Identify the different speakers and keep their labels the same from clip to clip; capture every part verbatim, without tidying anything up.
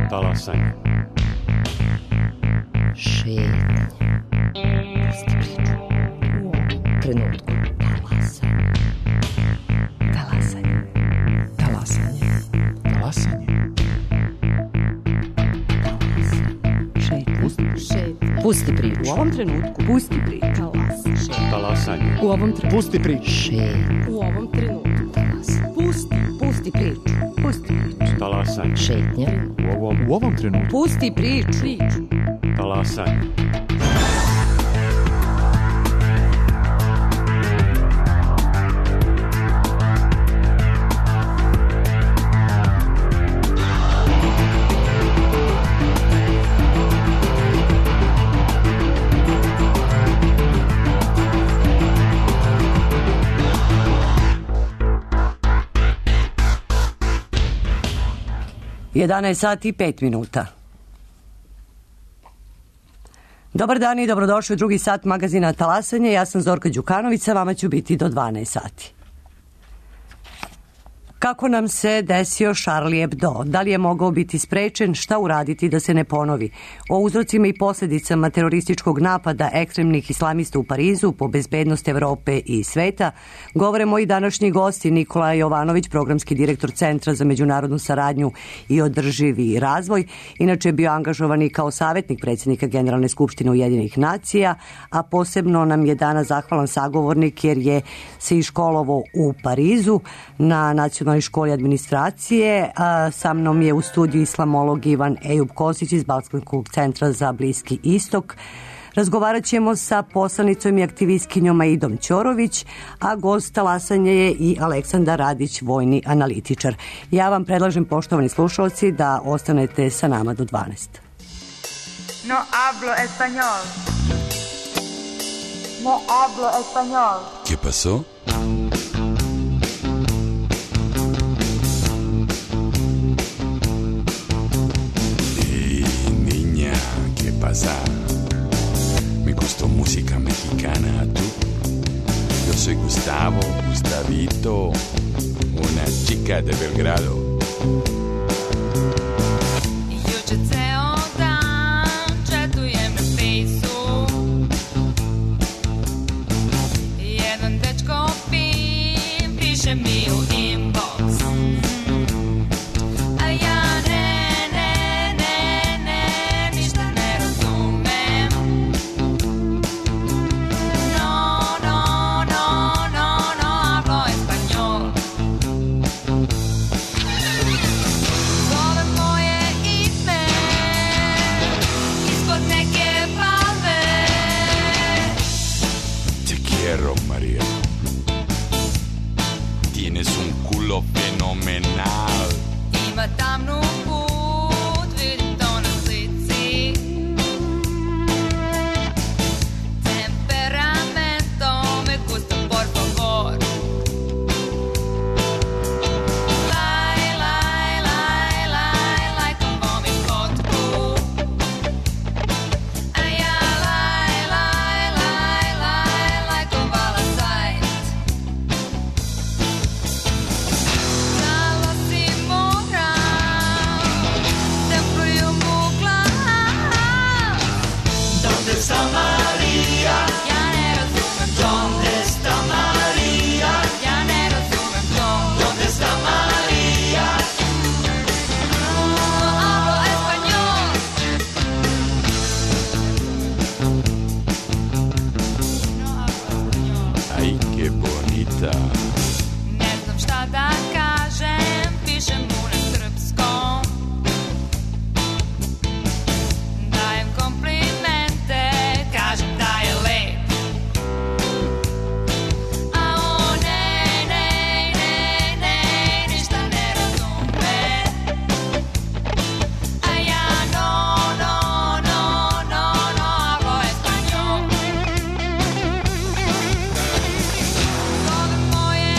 Speaker 1: Talasanje.
Speaker 2: Šetnje. Pusti priču. U ovom trenutku. Talasanje. Talasanje. Talasanje.
Speaker 3: Talasanje.
Speaker 2: Šetnje. Pusti priču.
Speaker 4: U ovom trenutku.
Speaker 2: Pusti priču.
Speaker 1: Talasanje.
Speaker 4: U ovom trenutku.
Speaker 3: Pusti priču.
Speaker 2: Šetnje.
Speaker 4: U ovom trenutku. Pusti. Pusti priču. Pusti priču.
Speaker 1: Talasanje.
Speaker 2: Šetnje.
Speaker 1: U ovom,
Speaker 3: U ovom trenutku.
Speaker 4: Pusti priču. Priču.
Speaker 1: talasanje.
Speaker 5: jedanaest sati i pet minuta. Dobar dan i dobrodošli u drugi sat magazina Talasanje. Ja sam Zorka Đukanović, sa vama ću biti do dvanaest sati. Kako nam se desio Charlie Hebdo? Da li je mogao biti sprečen? Šta uraditi da se ne ponovi? O uzrocima i posljedicama terorističkog napada ekstremnih islamista u Parizu po bezbednost Evrope i sveta govore moji današnji gosti Nikola Jovanović, programski direktor Centra za međunarodnu saradnju i održivi razvoj. Inače je bio angažovan i kao savjetnik predsjednika Generalne skupštine Ujedinjenih nacija, a posebno nam je danas zahvalan sagovornik jer je se iškolovao u Parizu na nacionalnoj školi administracije. A sa mnom je u studiju islamolog Ivan Ejub Kosić iz Balkanskog centra za Bliski istok. Razgovarat ćemo sa poslanicom i aktivistkinjom Aidom Ćorović, a gost Talasanje je i Aleksandar Radić, vojni analitičar. Ja vam predlažem, poštovani slušalci, da ostanete sa nama do dvanaest.
Speaker 6: No hablo español. No hablo español.
Speaker 7: ¿Qué pasó? ¿Qué pasa? Me gustó música mexicana, ¿tú? Yo soy Gustavo, Gustavito, una chica de Belgrado.
Speaker 8: Juče ceo dan četujem na fejsu, jedan dečko pim piše mi u inbox, a ja ne, ne, ne, ne, ništa ne razumem. No, no, no, no, no hablo español. Zove moje ime ispod neke palme.
Speaker 7: Te quiero, María. Tienes un culo fenomenal.
Speaker 8: Ima tamnu put, vidim to na slici. Temperamento me gusta, por favor. Laj, laj, laj, laj, laj, como mi fotku. A ja laj, laj, laj, laj, laj, kovala sajt. Zalo si moram, da pluju mu glas.
Speaker 9: ¿Dónde está María?
Speaker 8: Ja ne razumem to,
Speaker 9: ¿Dónde está María?
Speaker 8: ja ne razumem to.
Speaker 9: ¿Dónde está María?
Speaker 8: No hablo español. No hablo español.
Speaker 7: Ay, qué bonita.
Speaker 8: Ne znam šta da kažem, pišem mu na srpskom. Dajem komplimente, kažem da je lep. A on ne, ne, ne, ne, ništa ne razume. A ja no, no, no, no, no hablo español. Zove moje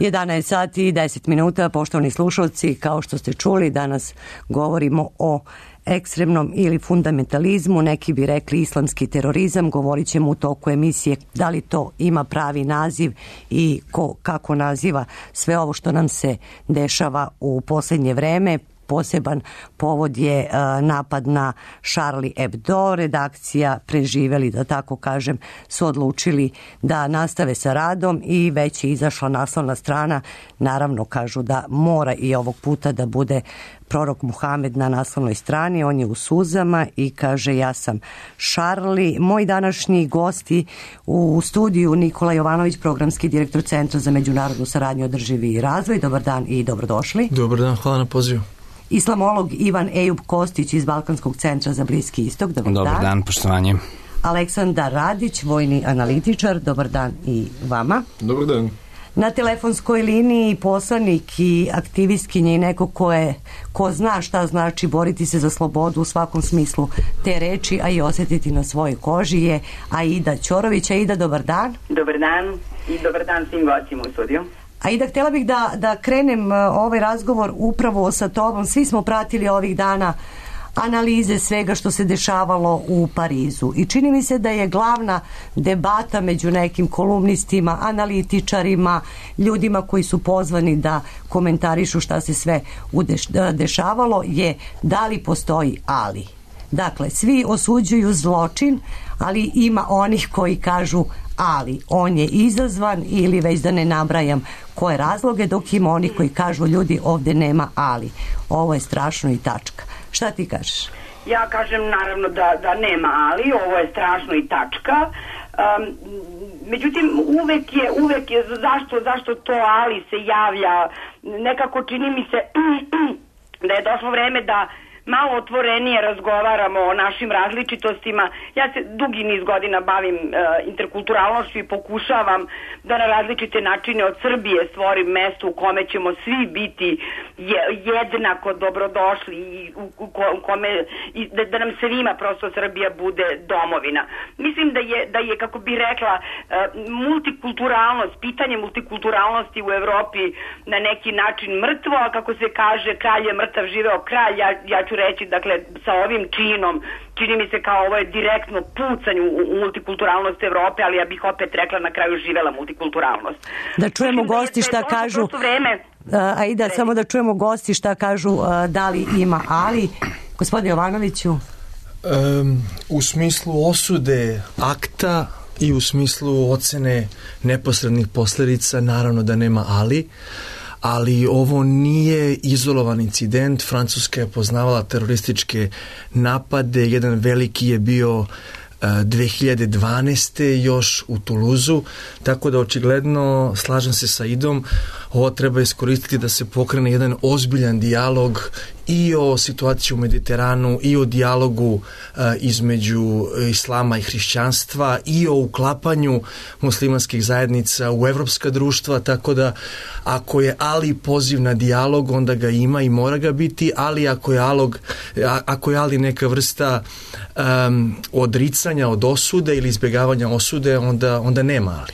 Speaker 5: jedanaest sati i deset minuta, poštovani slušalci, kao što ste čuli, danas govorimo o ekstremnom ili fundamentalizmu, neki bi rekli islamski terorizam. Govorit ćemo u toku emisije da li to ima pravi naziv i ko, kako naziva sve ovo što nam se dešava u posljednje vreme. Poseban povod je napad na Charlie Hebdo. Redakcija Preživeli, da tako kažem, su odlučili da nastave sa radom i već je izašla naslovna strana. Naravno, kažu da mora i ovog puta da bude prorok Muhamed na naslovnoj strani. On je u suzama i kaže: ja sam Charlie. Moji današnji gosti u studiju: Nikola Jovanović, programski direktor Centra za međunarodnu saradnju i održivi razvoj. Dobar dan i dobrodošli.
Speaker 3: Dobar dan, hvala na pozivu.
Speaker 5: Islamolog Ivan Ejub Kostić iz Balkanskog centra za Bliski istok. Dobar,
Speaker 10: Dobar dan. dan, poštovanje.
Speaker 5: Aleksandar Radić, vojni analitičar. Dobar dan i vama.
Speaker 11: Dobar dan.
Speaker 5: Na telefonskoj liniji poslanik i aktivistkinje i neko ko, je, ko zna šta znači boriti se za slobodu u svakom smislu te reči, a i osjetiti na svojoj koži, je Aida Ćorović. Aida, dobar dan.
Speaker 12: Dobar dan i dobar dan svim gostima u studiju.
Speaker 5: Aida, htjela bih da, da krenem ovaj razgovor upravo sa tobom. Svi smo pratili ovih dana analize svega što se dešavalo u Parizu i čini mi se da je glavna debata među nekim kolumnistima, analitičarima, ljudima koji su pozvani da komentarišu šta se sve dešavalo, je da li postoji ali. Dakle, svi osuđuju zločin, ali ima onih koji kažu ali on je izazvan, ili već da ne nabrajam koje razloge, dok ima onih koji kažu ljudi ovdje nema ali, ovo je strašno i tačka. Šta ti kažeš?
Speaker 12: Ja kažem naravno da, da nema ali, ovo je strašno i tačka. Um, međutim uvek je, uvek je zašto, zašto to ali se javlja, nekako čini mi se da je došlo vreme da malo otvorenije razgovaramo o našim različitostima. Ja se dugi niz godina bavim e, interkulturalnošću i pokušavam da na različite načine od Srbije stvorim mesto u kome ćemo svi biti je, jednako dobrodošli i u, u, u kome i da, da nam svima prosto Srbija bude domovina. Mislim da je, da je kako bi rekla, e, multikulturalnost, pitanje multikulturalnosti u Evropi na neki način mrtvo, a kako se kaže kralj je mrtav, živeo kralj. Ja, ja ću reći, dakle, sa ovim činom čini mi se kao ovo je direktno pucanje u, u multikulturalnost Evrope, ali ja bih opet rekla na kraju živela multikulturalnost.
Speaker 5: Da čujemo gosti šta kažu. Aida, samo da čujemo gosti šta kažu, da li ima ali. Gospodin Jovanoviću.
Speaker 3: Um, u smislu osude akta i u smislu ocene neposrednih posljedica naravno da nema ali. Ali ovo nije izolovan incident. Francuska je poznavala terorističke napade. Jedan veliki je bio dve hiljade dvanaeste. još u Tuluzu, tako da očigledno slažem se sa Idom, ovo treba iskoristiti da se pokrene jedan ozbiljan dijalog i o situaciji u Mediteranu i o dijalogu uh, između islama i hrišćanstva i o uklapanju muslimanskih zajednica u evropska društva, tako da ako je ali poziv na dijalog, onda ga ima i mora ga biti, ali ako je, alog, ako je ali neka vrsta um, odricanja od osude ili izbjegavanja osude, onda, onda nema ali.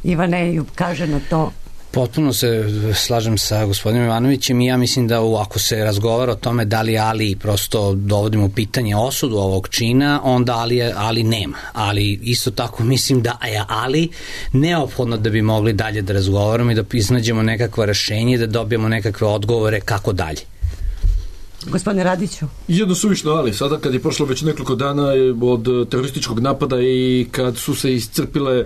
Speaker 5: Ivane kaže na to.
Speaker 10: Potpuno se slažem sa gospodinom Ivanovićem i ja mislim da ako se razgovara o tome da li ali prosto dovodimo u pitanje osudu ovog čina, onda ali, ali nema. Ali isto tako mislim da je ali neophodno da bi mogli dalje da razgovaramo i da iznađemo nekakva rešenje, da dobijemo nekakve odgovore kako dalje.
Speaker 5: Gospodine Radiću.
Speaker 11: Jedno suvišno ali, sada kad je prošlo već nekoliko dana od terorističkog napada i kad su se iscrpile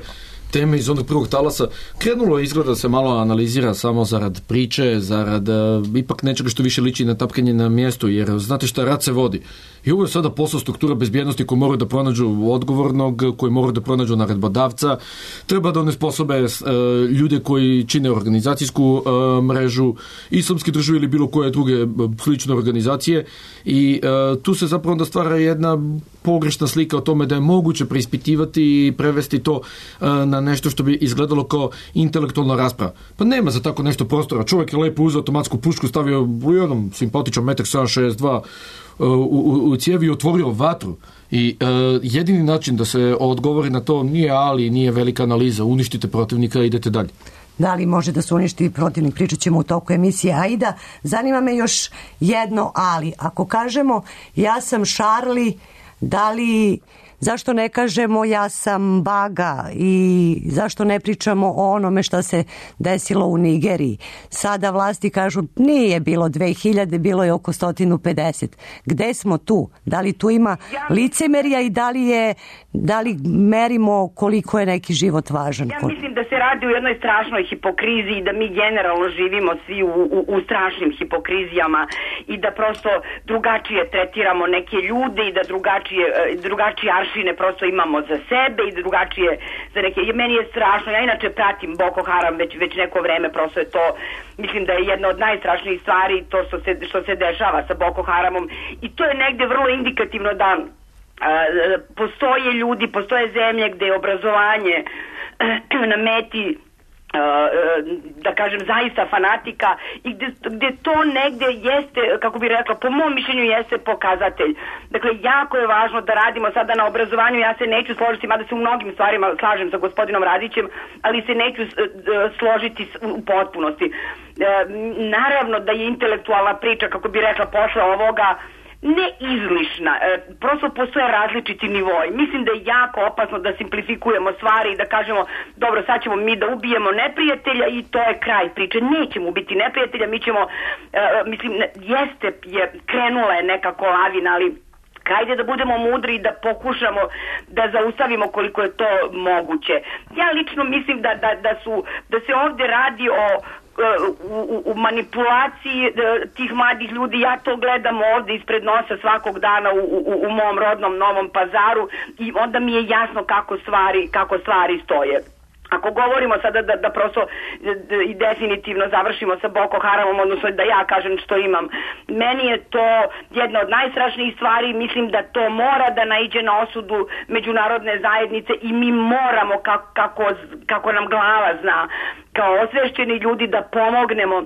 Speaker 11: teme iz onog prvog talasa, krenulo izgleda da se malo analizira samo zarad priče, zarad uh, ipak nečega što više liči na tapkanje na mjestu, jer znate šta, rat se vodi. I ovo je sada posao struktura bezbjednosti koji moraju da pronađu odgovornog, koji moraju da pronađu naredbodavca, treba da onesposobe uh, ljude koji čine organizacijsku uh, mrežu, islamske države ili bilo koje druge uh, slične organizacije i uh, tu se zapravo onda stvara jedna pogrešna slika o tome da je moguće preispitivati i prevesti to uh, na nešto što bi izgledalo kao intelektualna rasprava. Pa nema za tako nešto prostora. Čovjek je lepo uzeo automatsku pušku, stavio u jednom simpatičnom metar sedam šezdeset dva u, u, u cijevi i otvorio vatru. I uh, jedini način da se odgovori na to nije ali, nije velika analiza, uništite protivnika i idete dalje.
Speaker 5: da li može da se uništi protivnik, pričat ćemo u toku emisije Aida. Zanima me još jedno ali. Ako kažemo ja sam Charlie, da li... Zašto ne kažemo ja sam Baga i zašto ne pričamo o onome što se desilo u Nigeriji? Sada vlasti kažu nije bilo dve hiljade, bilo je oko sto pedeset. Gde smo tu? Da li tu ima licemerja i da li, je, da li merimo koliko je neki život važan?
Speaker 12: Ja mislim da se radi u jednoj strašnoj hipokriziji, da mi generalno živimo svi u, u, u strašnim hipokrizijama i da prosto drugačije tretiramo neke ljude i da drugačije, drugačije aršine prosto imamo za sebe i drugačije za neke. Meni je strašno, ja inače pratim Boko Haram već, već neko vreme, prosto je to, mislim da je jedna od najstrašnijih stvari to što se, što se dešava sa Boko Haramom i to je negde vrlo indikativno da a, postoje ljudi, postoje zemlje gde je obrazovanje na meti da kažem zaista fanatika i gde, gde to negde jeste, kako bi rekla, po mom mišljenju jeste pokazatelj. Dakle, jako je važno da radimo sada na obrazovanju, ja se neću složiti, mada se u mnogim stvarima slažem sa gospodinom Radićem, ali se neću složiti u potpunosti. Naravno da je intelektualna priča, kako bi rekla, posle ovoga ne izlišna, e, prosto postoje različiti nivoi. Mislim da je jako opasno da simplifikujemo stvari i da kažemo, dobro, sad ćemo mi da ubijemo neprijatelja i to je kraj priče. Nećemo ubiti neprijatelja, mi ćemo, e, mislim, jeste, je, krenula je nekako lavina, ali hajde da budemo mudri i da pokušamo da zaustavimo koliko je to moguće. Ja lično mislim da, da, da, su, da se ovde radi o U, u manipulaciji tih mladih ljudi. Ja to gledam ovde ispred nosa svakog dana u, u, u mom rodnom Novom Pazaru i onda mi je jasno kako stvari, kako stvari stoje. Ako govorimo sada da, da prosto i definitivno završimo sa Boko Haramom, odnosno da ja kažem što imam, meni je to jedna od najstrašnijih stvari, mislim da to mora da naiđe na osudu međunarodne zajednice i mi moramo kako, kako, kako nam glava zna, kao osvešćeni ljudi da pomognemo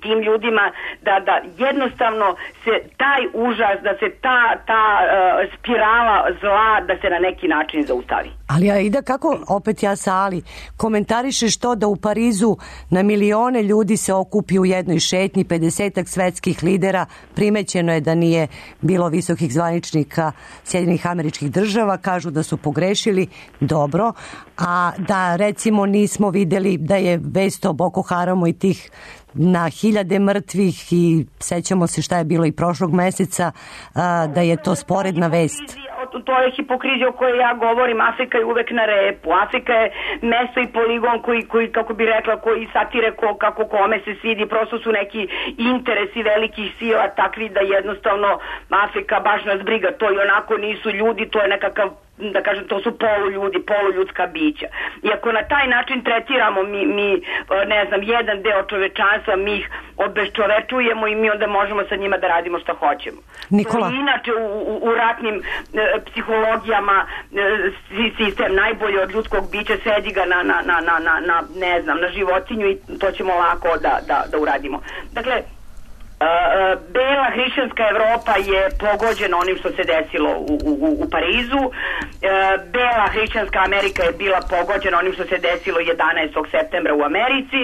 Speaker 12: tim ljudima da, da jednostavno se taj užas, da se ta, ta uh, spirala zla, da se na neki način zaustavi.
Speaker 5: Ali Aida, kako, opet ja sa Ali, komentarišeš to da u Parizu na milione ljudi se okupi u jednoj šetnji, pedesetak svetskih lidera, primećeno je da nije bilo visokih zvaničnika Sjedinjenih Američkih Država, kažu da su pogrešili, dobro, a da recimo nismo videli da je vest o Boko Haramu i tih na hiljade mrtvih i sećamo se šta je bilo i prošlog meseca, da je to sporedna vest.
Speaker 12: To je hipokrizija o kojoj ja govorim. Afrika je uvek na repu. Afrika je mesto i poligon koji, koji kako bi rekla, koji satire ko, kako kome se svidi. Prosto su neki interesi velikih sila takvi da jednostavno Afrika baš nas briga. To i onako nisu ljudi, to je nekakav, da kažem, to su poluljudi, poluljudska bića. I ako na taj način tretiramo mi, mi ne znam, jedan deo čovečanstva, mi ih obezčovečujemo i mi onda možemo sa njima da radimo što hoćemo.
Speaker 5: Nikola.
Speaker 12: To inače u, u, u ratnim e, psihologijama e, sistem najbolje od ljudskog bića, sedi ga na, na, na, na, na, na ne znam, na životinju i to ćemo lako da, da, da uradimo. Dakle, Uh, bela hrišćanska Evropa je pogođena onim što se desilo u, u, u Parizu. Uh, bela hrišćanska Amerika je bila pogođena onim što se desilo jedanaestog septembra u Americi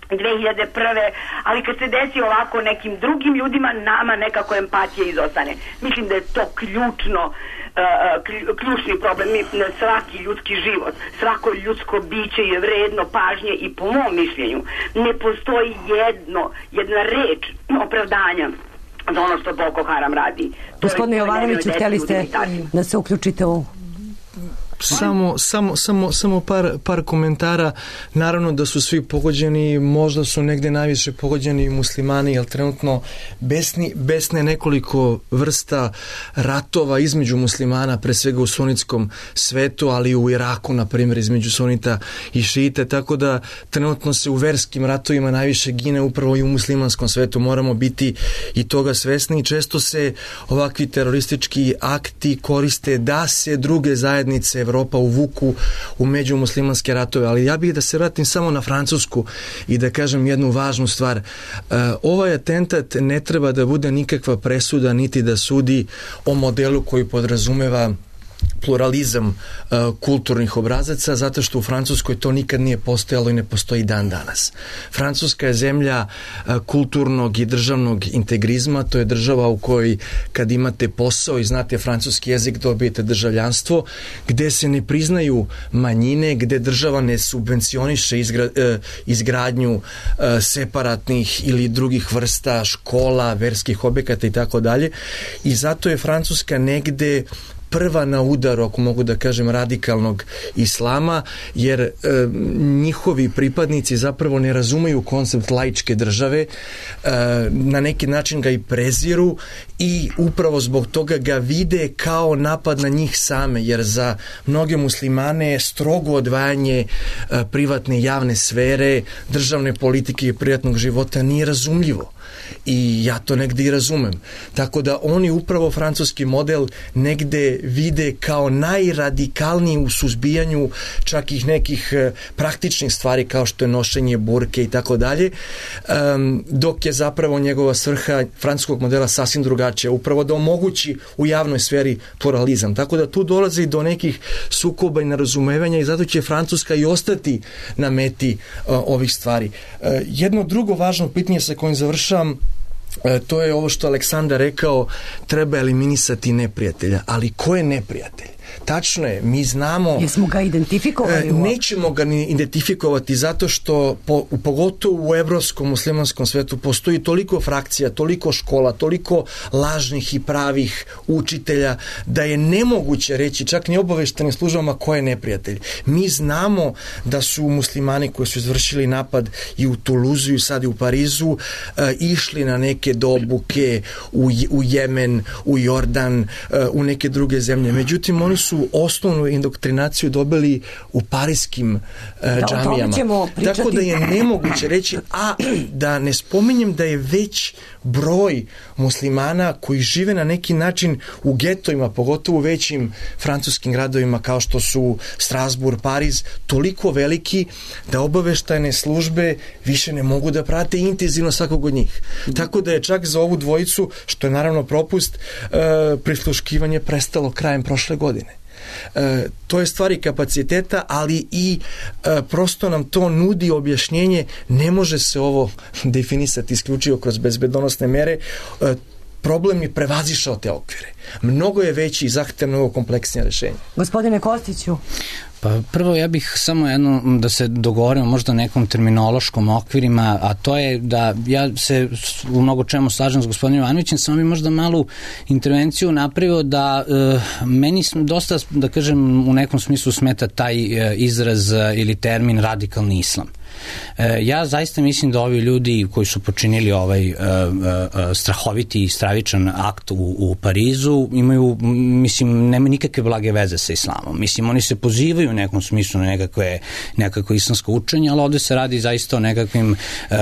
Speaker 12: dve hiljade prve. Ali kad se desi ovako nekim drugim ljudima, nama nekako empatija izostane. Mislim da je to ključno, uh, ključni problem. Svaki ljudski život, svako ljudsko biće je vredno pažnje i po mom mišljenju ne postoji jedno, jedna reč opravdanja za ono što Boko Haram radi.
Speaker 5: Gospodine Jovanoviću, htjeli ste da se uključite u...
Speaker 3: Samo, samo, samo, samo par, par komentara. Naravno da su svi pogođeni, možda su negde najviše pogođeni muslimani, jer trenutno besni, besne nekoliko vrsta ratova između muslimana, pre svega u sunitskom svetu, ali i u Iraku, na primjer, između sunita i šite, tako da trenutno se u verskim ratovima najviše gine upravo i u muslimanskom svetu. Moramo biti i toga svesni i često se ovakvi teroristički akti koriste da se druge zajednice Evropa uvuku u međumuslimanske ratove, ali ja bih da se vratim samo na Francusku i da kažem jednu važnu stvar. Ovaj atentat ne treba da bude nikakva presuda niti da sudi o modelu koji podrazumeva pluralizam uh, kulturnih obrazaca, zato što u Francuskoj to nikad nije postojalo i ne postoji dan danas. Francuska je zemlja uh, kulturnog i državnog integrizma, to je država u kojoj kad imate posao i znate francuski jezik dobijete državljanstvo, gde se ne priznaju manjine, gde država ne subvencioniše izgra, uh, izgradnju uh, separatnih ili drugih vrsta škola, verskih objekata i tako dalje. I zato je Francuska negde prva na udaru, ako mogu da kažem, radikalnog islama, jer e, njihovi pripadnici zapravo ne razumeju koncept laičke države, e, na neki način ga i preziru i upravo zbog toga ga vide kao napad na njih same, jer za mnoge muslimane je strogo odvajanje e, privatne i javne sfere, državne politike i privatnog života nije razumljivo. I ja to negde i razumem. Tako da oni upravo francuski model negde vide kao najradikalniji u suzbijanju čak i nekih praktičnih stvari kao što je nošenje burke i tako dalje, dok je zapravo njegova svrha francuskog modela sasvim drugačija, upravo da omogući u javnoj sferi pluralizam. Tako da tu dolazi do nekih sukoba i nerazumevanja i zato će Francuska i ostati na meti uh, ovih stvari. Uh, jedno drugo važno pitanje sa kojim završavam, E, to je ovo što Aleksandar rekao, treba eliminisati neprijatelja. Ali ko je neprijatelj? Tačno je, mi znamo...
Speaker 5: Jesmo ga identifikovali?
Speaker 3: E, nećemo ga ni identifikovati zato što po, pogotovo u evropskom muslimanskom svetu postoji toliko frakcija, toliko škola, toliko lažnih i pravih učitelja da je nemoguće reći čak ni obaveštenim službama ko je neprijatelj. Mi znamo da su muslimani koji su izvršili napad i u Tuluzu i sad i u Parizu e, išli na neke dobuke u, u Jemen, u Jordan, e, u neke druge zemlje. Međutim, oni su osnovnu indoktrinaciju dobili u parijskim uh,
Speaker 5: da,
Speaker 3: džamijama. Tako da je nemoguće reći, a da ne spominjem da je već broj muslimana koji žive na neki način u getovima, pogotovo u većim francuskim gradovima kao što su Strasbourg, Pariz, toliko veliki da obaveštajne službe više ne mogu da prate intenzivno svakog od njih. Tako da je čak za ovu dvojicu, što je naravno propust, uh, prisluškivanje prestalo krajem prošle godine. E, to je stvari kapaciteta, ali i e, prosto nam to nudi objašnjenje, ne može se ovo definisati isključivo kroz bezbedonosne mere, e, problem je prevazišao te okvire. Mnogo je veći i zahteva mnogo kompleksnije rešenje.
Speaker 5: Gospodine Kostiću.
Speaker 10: Pa prvo ja bih samo jedno da se dogovorimo možda nekom terminološkom okvirima, a to je da ja se u mnogo čemu slažem s gospodinom Ivanovićem, samo bi možda malu intervenciju napravio da e, meni dosta, da kažem, u nekom smislu smeta taj e, izraz ili termin radikalni islam. E, ja zaista mislim da ovi ljudi koji su počinili ovaj e, e, strahoviti i stravičan akt u, u Parizu imaju, mislim, nema nikakve blage veze sa islamom. Mislim, oni se pozivaju u nekom smislu na nekakve, nekakvo islamsko učenje, ali ovde se radi zaista o nekakvim e,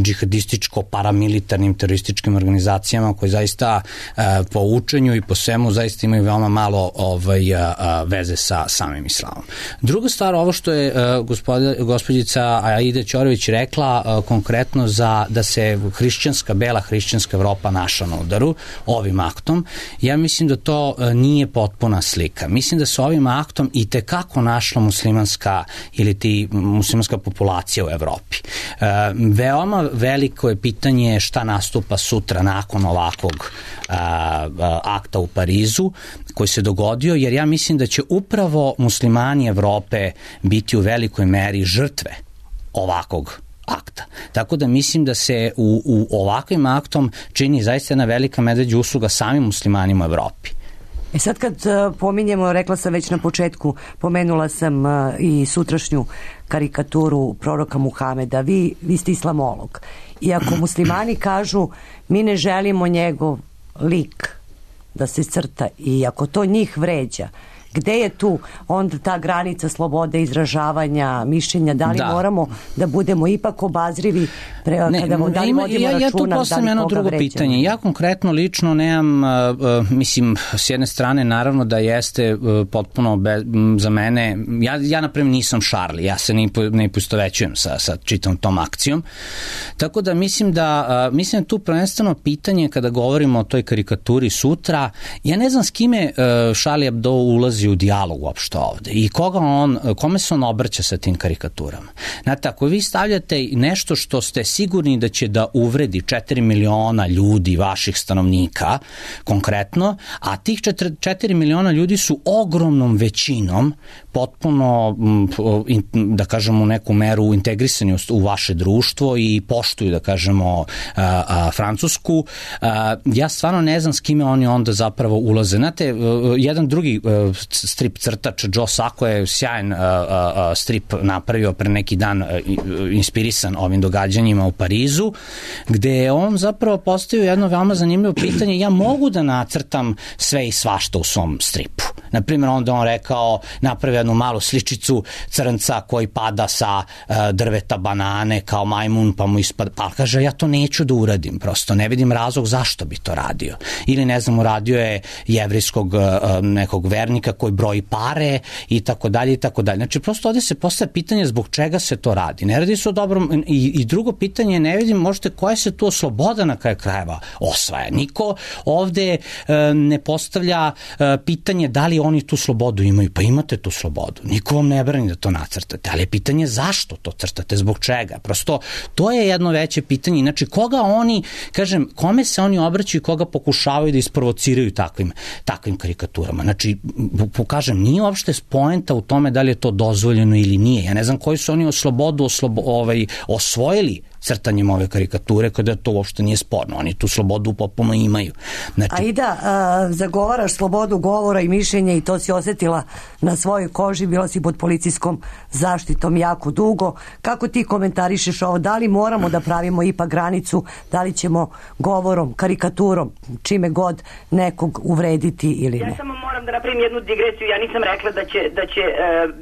Speaker 10: džihadističko-paramilitarnim terorističkim organizacijama koje zaista e, po učenju i po svemu zaista imaju veoma malo ovaj, a, a, veze sa samim islamom. Druga stvar, ovo što je e, gospoda, gospođica Aida Ćorović rekla uh, konkretno za da se hrišćanska, bela hrišćanska Evropa našla na udaru ovim aktom, ja mislim da to uh, nije potpuna slika. Mislim da se ovim aktom i tekako našla muslimanska ili ti muslimanska populacija u Evropi. Uh, veoma veliko je pitanje šta nastupa sutra nakon ovakvog uh, uh, akta u Parizu koji se dogodio, jer ja mislim da će upravo muslimani Evrope biti u velikoj meri žrtve ovakvog akta. Tako da mislim da se u, u ovakvim aktom čini zaista jedna velika medveđa usluga samim muslimanima u Evropi.
Speaker 5: E sad kad uh, pominjemo, rekla sam već na početku, pomenula sam uh, i sutrašnju karikaturu proroka Muhameda, vi, vi ste islamolog. I ako muslimani kažu mi ne želimo njegov lik da se crta i ako to njih vređa, Gde je tu onda ta granica slobode izražavanja, mišljenja, da li
Speaker 10: Da.
Speaker 5: moramo da budemo ipak obazrivi pre,
Speaker 10: Ne,
Speaker 5: kada da li
Speaker 10: ima-
Speaker 5: vodimo
Speaker 10: ja, ja tu
Speaker 5: računa, da
Speaker 10: postavljam
Speaker 5: li
Speaker 10: jedno
Speaker 5: koga
Speaker 10: drugo
Speaker 5: vređamo?
Speaker 10: pitanje. Ja konkretno lično nemam, uh, uh, mislim, s jedne strane naravno da jeste uh, potpuno be, m, za mene, ja, ja napravim nisam Charlie, ja se ne, po- ne poistovećujem sa, sa čitom tom akcijom. Tako da mislim da, uh, mislim da tu prvenstveno pitanje kada govorimo o toj karikaturi sutra, ja ne znam s kime uh, Charlie Hebdo ulazi u dijalog uopšte ovde i koga on, kome se on obraća sa tim karikaturama. Znate, ako vi stavljate nešto što ste sigurni da će da uvredi četiri miliona ljudi, vaših stanovnika, konkretno, a tih četiri miliona ljudi su ogromnom većinom potpuno, da kažemo, u neku meru integrisani u vaše društvo i poštuju, da kažemo, a, a, Francusku, a, ja stvarno ne znam s kime oni onda zapravo ulaze. Znate, jedan drugi strip crtač, Joe Sacco, je sjajan a, a, strip napravio pre neki dan, a, inspirisan ovim događanjima u Parizu, gde je on zapravo postavio jedno veoma zanimljivo pitanje: ja mogu da nacrtam sve i svašta u svom stripu. Naprimjer, onda on rekao, napravio jednu malu sličicu crnca koji pada sa uh, drveta banane kao majmun, pa mu ispada, pa kaže, ja to neću da uradim, prosto ne vidim razlog zašto bi to radio. Ili ne znam, uradio je jevrijskog uh, nekog vernika koji broji pare i tako dalje i tako dalje. Znači, prosto ovde se postavlja pitanje zbog čega se to radi. Ne radi se o dobrom, i, i drugo pitanje, ne vidim možete koja se tu sloboda na kraju krajeva osvaja. Niko ovde uh, ne postavlja uh, pitanje da li oni tu slobodu imaju. Pa imate tu slobodu. Niko vam ne brani da to nacrtate, ali je pitanje zašto to crtate, zbog čega. Prosto, to je jedno veće pitanje. Znači, koga oni, kažem, kome se oni obraćaju i koga pokušavaju da isprovociraju takvim, takvim karikaturama. Znači, pokažem, nije uopšte poenta u tome da li je to dozvoljeno ili nije. Ja ne znam koji su oni o slobodu oslobo, ovaj, osvojili crtanjem ove karikature, kada to uopšte nije sporno. Oni tu slobodu potpuno imaju. Znači,
Speaker 5: Aida, a, zagovaraš slobodu govora i mišljenja i to si osetila na svojoj koži, bila si pod policijskom zaštitom jako dugo. Kako ti komentarišeš ovo? Da li moramo da pravimo ipak granicu, da li ćemo govorom, karikaturom, čime god nekog uvrediti ili ne?
Speaker 12: Ja samo moram da napravim jednu digresiju. Ja nisam rekla da će, da će e,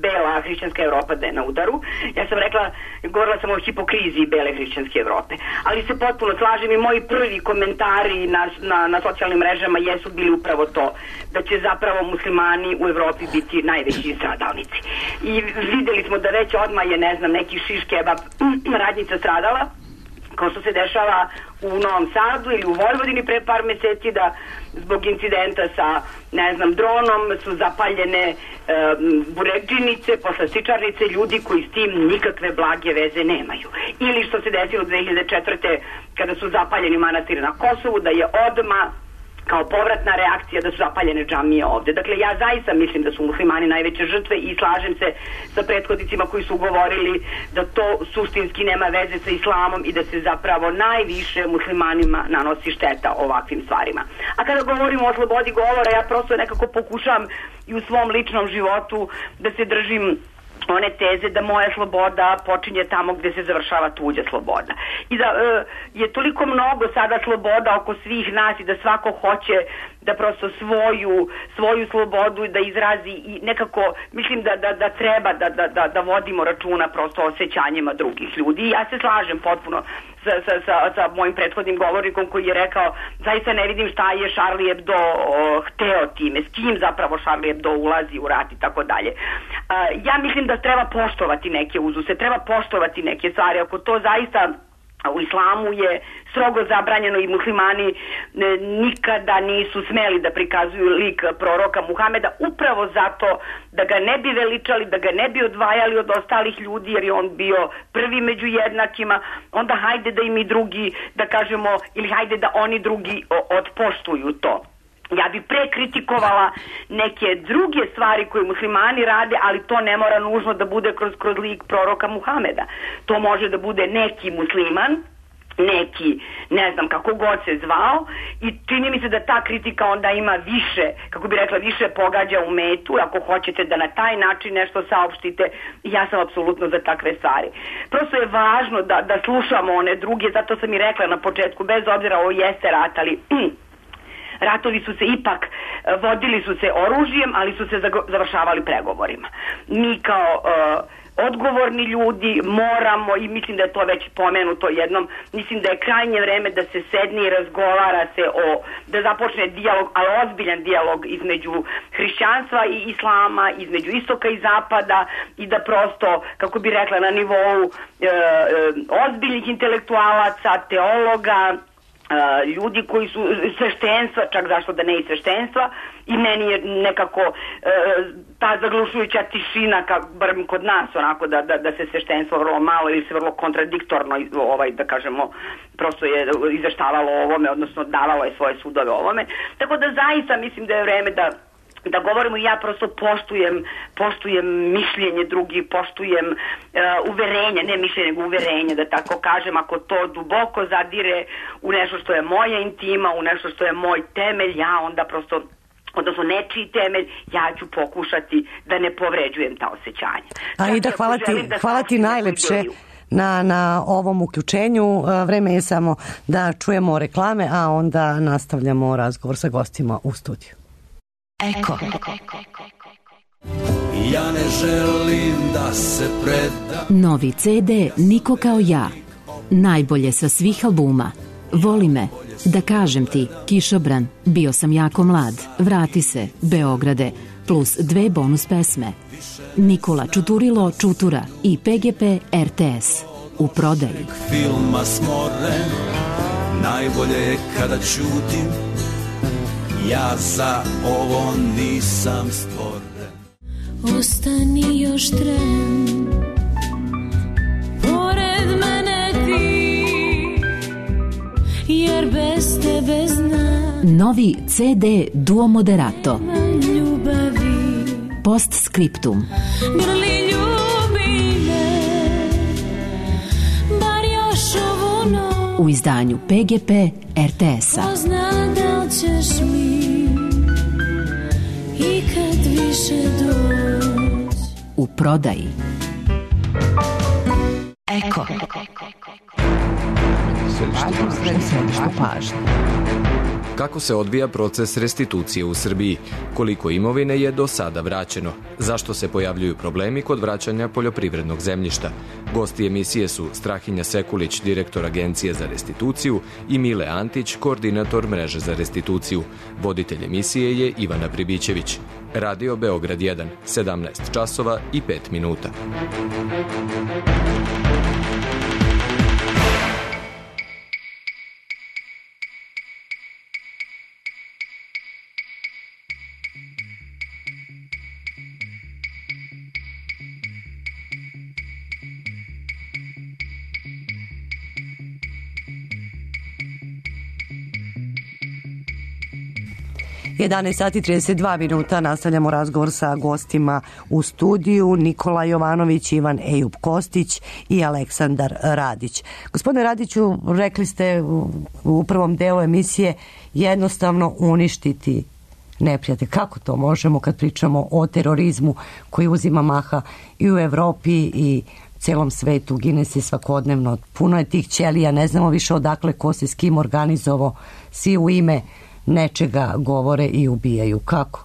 Speaker 12: bela hrišćanska Evropa da je na udaru. Ja sam rekla, govorila sam o hipokriziji bele hrišćanske Evrope. Ali se potpuno slažem i moji prvi komentari na, na, na socijalnim mrežama jesu bili upravo to, da će zapravo muslimani u Evropi biti najveći stradalnici. I videli smo da već odmah je, ne znam, neki šiš kebab radnica stradala, kao što se dešava u Novom Sadu ili u Vojvodini pre par meseci, da zbog incidenta sa, ne znam, dronom su zapaljene e, burekdžinice, poslastičarnice, ljudi koji s tim nikakve blage veze nemaju. Ili što se desilo dve hiljade četvrte kada su zapaljeni manastiri na Kosovu, da je odmah kao povratna reakcija da su zapaljene džamije ovde. Dakle, ja zaista mislim da su muslimani najveće žrtve i slažem se sa prethodnicima koji su govorili da to suštinski nema veze sa islamom i da se zapravo najviše muslimanima nanosi šteta ovakvim stvarima. A kada govorimo o slobodi govora, ja prosto nekako pokušam i u svom ličnom životu da se držim one teze da moja sloboda počinje tamo gde se završava tuđa sloboda. I da e, je toliko mnogo sada sloboda oko svih nas i da svako hoće da prosto svoju, svoju slobodu da izrazi i nekako mislim da, da, da treba da, da, da, da vodimo računa prosto o osjećanjima drugih ljudi. I ja se slažem potpuno sa, sa, sa, sa mojim prethodnim govornikom koji je rekao zaista ne vidim šta je Charlie Hebdo o, hteo time, s kim zapravo Charlie Hebdo ulazi u rat i tako dalje. Ja mislim da treba poštovati neke uzuse, treba poštovati neke stvari, ako to zaista u islamu je strogo zabranjeno i muslimani nikada nisu smeli da prikazuju lik proroka Muhameda upravo zato da ga ne bi veličali, da ga ne bi odvajali od ostalih ljudi jer je on bio prvi među jednakima, onda hajde da im i drugi, da kažemo, ili hajde da oni drugi odpoštuju to. Ja bi pre kritikovala neke druge stvari koje muslimani rade, ali to ne mora nužno da bude kroz, kroz lik proroka Muhameda. To može da bude neki musliman, neki, ne znam kako god se zvao, i čini mi se da ta kritika onda ima više, kako bi rekla, više pogađa u metu, ako hoćete da na taj način nešto saopštite. Ja sam apsolutno za takve stvari. Prosto je važno da, da slušamo one druge, zato sam i rekla na početku, bez obzira ovo jeste rat, ali ratovi su se ipak vodili su se oružjem, ali su se završavali pregovorima. Mi kao uh, odgovorni ljudi moramo, i mislim da je to već pomenuto jednom, mislim da je krajnje vreme da se sedne i razgovara se o, da započne dijalog, ali ozbiljan dijalog između hrišćanstva i islama, između istoka i zapada, i da prosto, kako bi rekla, na nivou e, e, ozbiljnih intelektualaca, teologa, ljudi koji su sveštenstva, čak zašto da ne i sveštenstva, i meni je nekako e, ta zaglušujuća tišina, ka, bar kod nas, onako da, da, da se sveštenstvo vrlo malo ili se vrlo kontradiktorno, ovaj, da kažemo, prosto je izveštavalo o ovome, odnosno davalo je svoje sudove o ovome. Tako da zaista mislim da je vreme da da govorimo, i ja prosto poštujem, poštujem mišljenje drugih, poštujem uh, uverenje, ne mišljenje, nego uverenje, da tako kažem, ako to duboko zadire u nešto što je moja intima, u nešto što je moj temelj, ja onda prosto, odnosno nečiji temelj, ja ću pokušati da ne povređujem ta osjećanja.
Speaker 5: A i da hvala ti, da hvala ti najlepše na, na ovom uključenju. Vreme je samo da čujemo reklame, a onda nastavljamo razgovor sa gostima u studiju.
Speaker 2: Eko.
Speaker 9: Ja ne želim da se predam.
Speaker 13: Novi ce de Niko kao ja. Najbolje sa svih albuma. Voli me, Da kažem ti, Kišobran, Bio sam jako mlad, Vrati se, Beograde, plus dve bonus pesme. Nikola Čuturilo Čutura i pe ge pe er te es. U prodaji.
Speaker 9: Filma smoren, najbolje je kada ćutim, ja za ovo nisam stvoren.
Speaker 14: Ostani još tren, pored mene ti, jer bez tebe znam.
Speaker 13: Novi ce de Duo Moderato.
Speaker 14: Ljubavi.
Speaker 13: Postscriptum.
Speaker 14: Grli ljubi me, bar još ovu noć.
Speaker 13: U izdanju pe ge pe er te es-a.
Speaker 14: Ko zna da li ćeš mi i kad više doć.
Speaker 13: U prodaji.
Speaker 2: Eko. Središte pažnje.
Speaker 15: Kako se odvija proces restitucije u Srbiji? Koliko imovine je do sada vraćeno? Zašto se pojavljuju problemi kod vraćanja poljoprivrednog zemljišta? Gosti emisije su Strahinja Sekulić, direktor Agencije za restituciju, i Mile Antić, koordinator mreže za restituciju. Voditelj emisije je Ivana Pribićević. Radio Beograd jedan, sedamnaest časova i pet minuta.
Speaker 5: jedanaest sati trideset dva minuta, nastavljamo razgovor sa gostima u studiju, Nikola Jovanović, Ivan Ejup Kostić i Aleksandar Radić. Gospodine Radiću, rekli ste u prvom delu emisije jednostavno uništiti neprijatelj. Kako to možemo kad pričamo o terorizmu koji uzima maha i u Evropi i celom svetu, gine se svakodnevno, puno je tih ćelija, ne znamo više odakle ko se s kim organizovao, svi u ime nečega govore i ubijaju. Kako?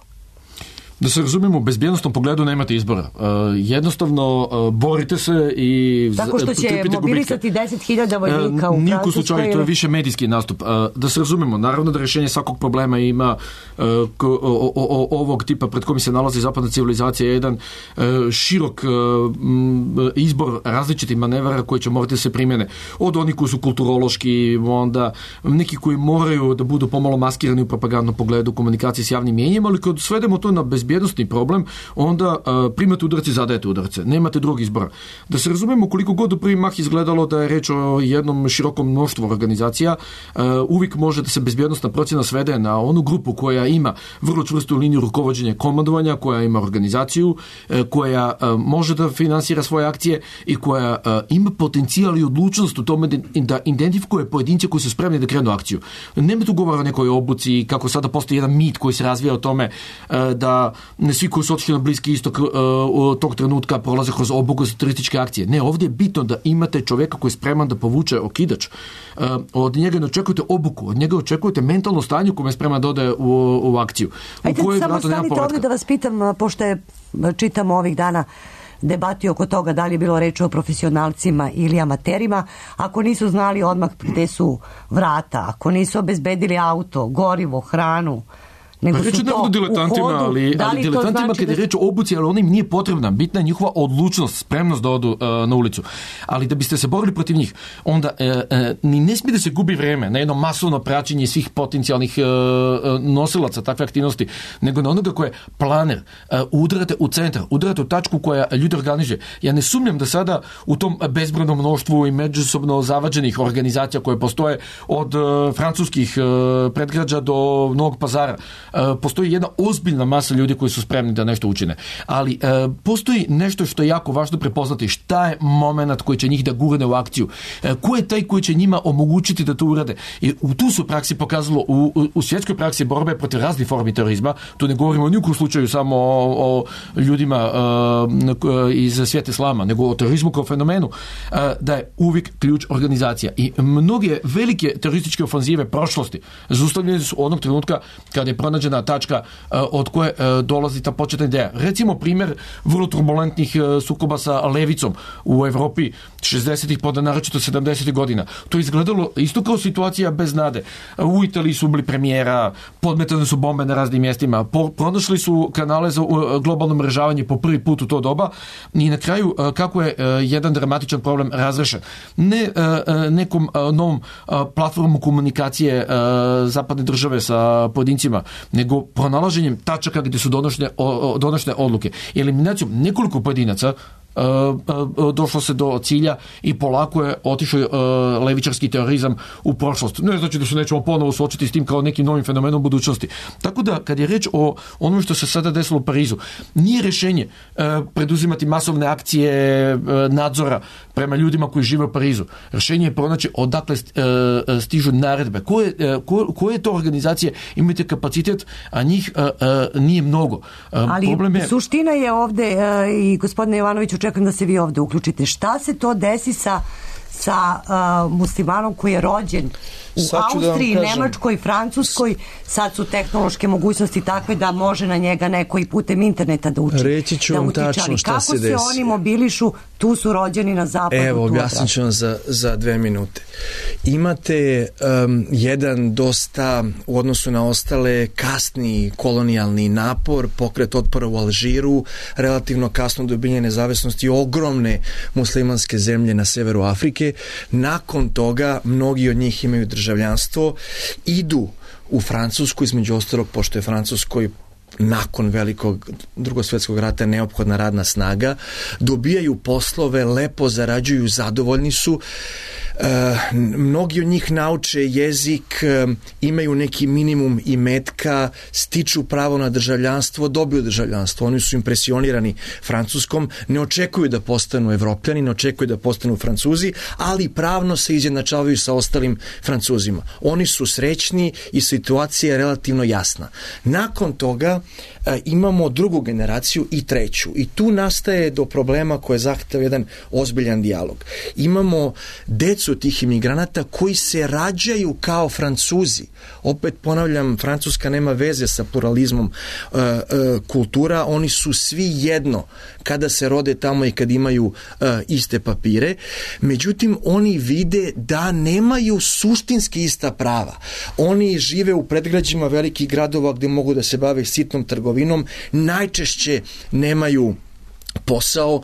Speaker 11: Da se razumemo, u bezbjednostnom pogledu nemate izbora. Uh, jednostavno uh, borite se i
Speaker 5: tako što će mobilisati deset hiljada vojnika uh, u
Speaker 11: Francuskoj. Slučaju, to je više medijski nastup. Uh, da se razumemo, naravno da rješenje svakog problema ima uh, ko, o, o, o, ovog tipa pred kojim se nalazi zapadna civilizacija, jedan uh, širok uh, izbor različitih manevara koji će morati da se primjene. Od onih koji su kulturološki, onda neki koji moraju da budu pomalo maskirani u propagandnom pogledu komunikacije s javnim mjenjem, ali kad svedemo to na bezbjednost bezbjednostni problem, onda uh, primate udarce, zadajete udarce. Nemate drugog izbora. Da se razumemo, koliko god u prvi mah izgledalo da je reč o jednom širokom mnoštvu organizacija, uh, uvijek može da se bezbjednostna procjena svede na onu grupu koja ima vrlo čvrstu liniju rukovođenja komandovanja, koja ima organizaciju, uh, koja uh, može da finansira svoje akcije i koja uh, ima potencijal i odlučnost u tome da, da identifikuje pojedince koji su spremni da krenu akciju. Nema tu govora o nekoj obuci, kako sada postoji jedan mit koji se razvija o tome uh, da ne svi koji su otišli na Bliski istok uh, tog trenutka prolaze kroz obuku za terorističke akcije. Ne, ovdje je bitno da imate čovjeka koji je spreman da povuče okidač. Uh, od njega ne očekujete obuku, od njega očekujete mentalno stanje u kojem je spreman da ode u, u akciju.
Speaker 5: Ajde, samo stanite ovdje da vas pitam, pošto je, čitamo ovih dana debati oko toga da li je bilo reč o profesionalcima ili amaterima, ako nisu znali odmah gde su vrata, ako nisu obezbedili auto, gorivo, hranu, nego
Speaker 11: reći
Speaker 5: su
Speaker 11: ne
Speaker 5: to
Speaker 11: budu diletantima,
Speaker 5: u hodu,
Speaker 11: ali,
Speaker 5: da
Speaker 11: ali
Speaker 5: li to
Speaker 11: diletantima
Speaker 5: znači
Speaker 11: kada je
Speaker 5: da...
Speaker 11: reč o obuci, ali ona im nije potrebna. Bitna je njihova odlučnost, spremnost da odu uh, na ulicu. Ali da biste se borili protiv njih, onda uh, uh, ni ne smije da se gubi vreme na jedno masovno praćenje svih potencijalnih uh, uh, nosilaca takve aktivnosti, nego na onoga koje je planer. Uh, udarate u centar, udarate u tačku koja ljudi organizuje. Ja ne sumnjam da sada u tom bezbrojnom mnoštvu i međusobno zavađenih organizacija koje postoje od uh, francuskih uh, predgrađa do Novog Pazara, uh, postoji jedna ozbiljna masa ljudi koji su spremni da nešto učine. Ali uh, postoji nešto što je jako važno prepoznati. Šta je moment koji će njih da gurne u akciju? Uh, ko je taj koji će njima omogućiti da to urade? I u tu su praksi pokazalo, u, u, u svjetskoj praksi borbe protiv raznih formi terorizma, tu ne govorimo ni u slučaju samo o, o ljudima uh, iz svijeta islama, nego o terorizmu kao fenomenu, uh, da je uvijek ključ organizacija. I mnoge velike terorističke ofanzive prošlosti zaustavljene su onog trenutka kada je pronađena tačka uh, od koje uh, dolazi ta početna ideja. Recimo primjer vrlo turbulentnih uh, sukoba sa levicom u Evropi šezdesetih pa naročito sedamdesetih godina. To je izgledalo isto kao situacija bez nade. U Italiji su bili premijera, podmetane su bombe na raznim mjestima, po, pronašli su kanale za uh, globalno mrežavanje po prvi put u to doba i na kraju uh, kako je uh, jedan dramatičan problem razrešen. Ne uh, uh, nekom uh, novom uh, platformom komunikacije uh, zapadne države sa pojedincima, nego pronalaženjem tačaka gdje su donošne, o, donošne odluke. Eliminacijom nekoliko pojedinaca Uh, uh, došlo se do cilja i polako je otišao uh, levičarski terorizam u prošlost. Ne znači da se nećemo ponovo suočiti s tim kao nekim novim fenomenom budućnosti. Tako da, kad je reč o onome što se sada desilo u Parizu, nije rješenje uh, preduzimati masovne akcije uh, nadzora prema ljudima koji žive u Parizu. Rješenje je pronaći odakle uh, stižu naredbe. Koje, uh, ko, koje to organizacije imate kapacitet, a njih uh, uh, nije mnogo. Uh,
Speaker 5: Ali
Speaker 11: problem je...
Speaker 5: suština je ovde uh, i gospodine Jovanoviću, čekam da se vi ovde uključite. Šta se to desi sa, sa uh, muslimanom koji je rođen u Austriji, da Nemačkoj, Francuskoj? Sad su tehnološke mogućnosti takve da može na njega neko i putem interneta da uči.
Speaker 3: Reći ću
Speaker 5: da
Speaker 3: vam
Speaker 5: utiče.
Speaker 3: tačno šta
Speaker 5: kako
Speaker 3: se desi.
Speaker 5: Kako se oni mobilišu? Tu su rođeni na zapadu.
Speaker 3: Evo, objasnit ću vam za, za dve minute. Imate um, jedan dosta u odnosu na ostale kasni kolonijalni napor, pokret otpora u Alžiru, relativno kasno dobijenje nezavisnosti ogromne muslimanske zemlje na severu Afrike. Nakon toga mnogi od njih imaju državljanstvo, idu u Francusku, između ostalog, pošto je Francuskoj nakon velikog drugosvjetskog rata neophodna radna snaga, dobijaju poslove, lepo zarađuju, zadovoljni su. E, mnogi od njih nauče jezik, e, imaju neki minimum imetka, stiču pravo na državljanstvo, dobiju državljanstvo. Oni su impresionirani Francuskom, ne očekuju da postanu Evropljani, ne očekuju da postanu Francuzi, ali pravno se izjednačavaju sa ostalim Francuzima. Oni su srećni i situacija je relativno jasna. Nakon toga e, imamo drugu generaciju i treću. I tu nastaje do problema koje zahteva jedan ozbiljan dijalog. Imamo decu tih imigranata koji se rađaju kao Francuzi. Opet ponavljam, Francuska nema veze sa pluralizmom e, e, kultura. Oni su svi jedno kada se rode tamo i kad imaju e, iste papire. Međutim, oni vide da nemaju suštinski ista prava. Oni žive u predgrađima velikih gradova gdje mogu da se bave sitnom trgovinom, najčešće nemaju posao,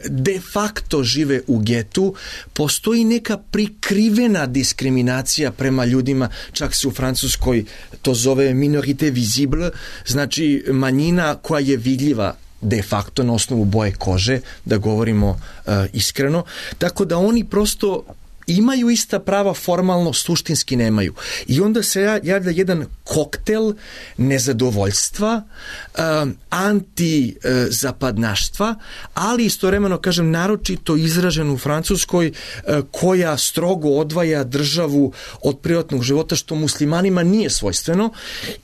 Speaker 3: de facto žive u getu, postoji neka prikrivena diskriminacija prema ljudima, čak se u Francuskoj to zove minorité visible, znači manjina koja je vidljiva de facto na osnovu boje kože, da govorimo uh, iskreno, tako da oni prosto imaju ista prava, formalno, suštinski nemaju. I onda se javlja jedan koktel nezadovoljstva, um, anti-zapadnaštva, ali istovremeno, kažem, naročito izražen u Francuskoj, uh, koja strogo odvaja državu od privatnog života, što muslimanima nije svojstveno.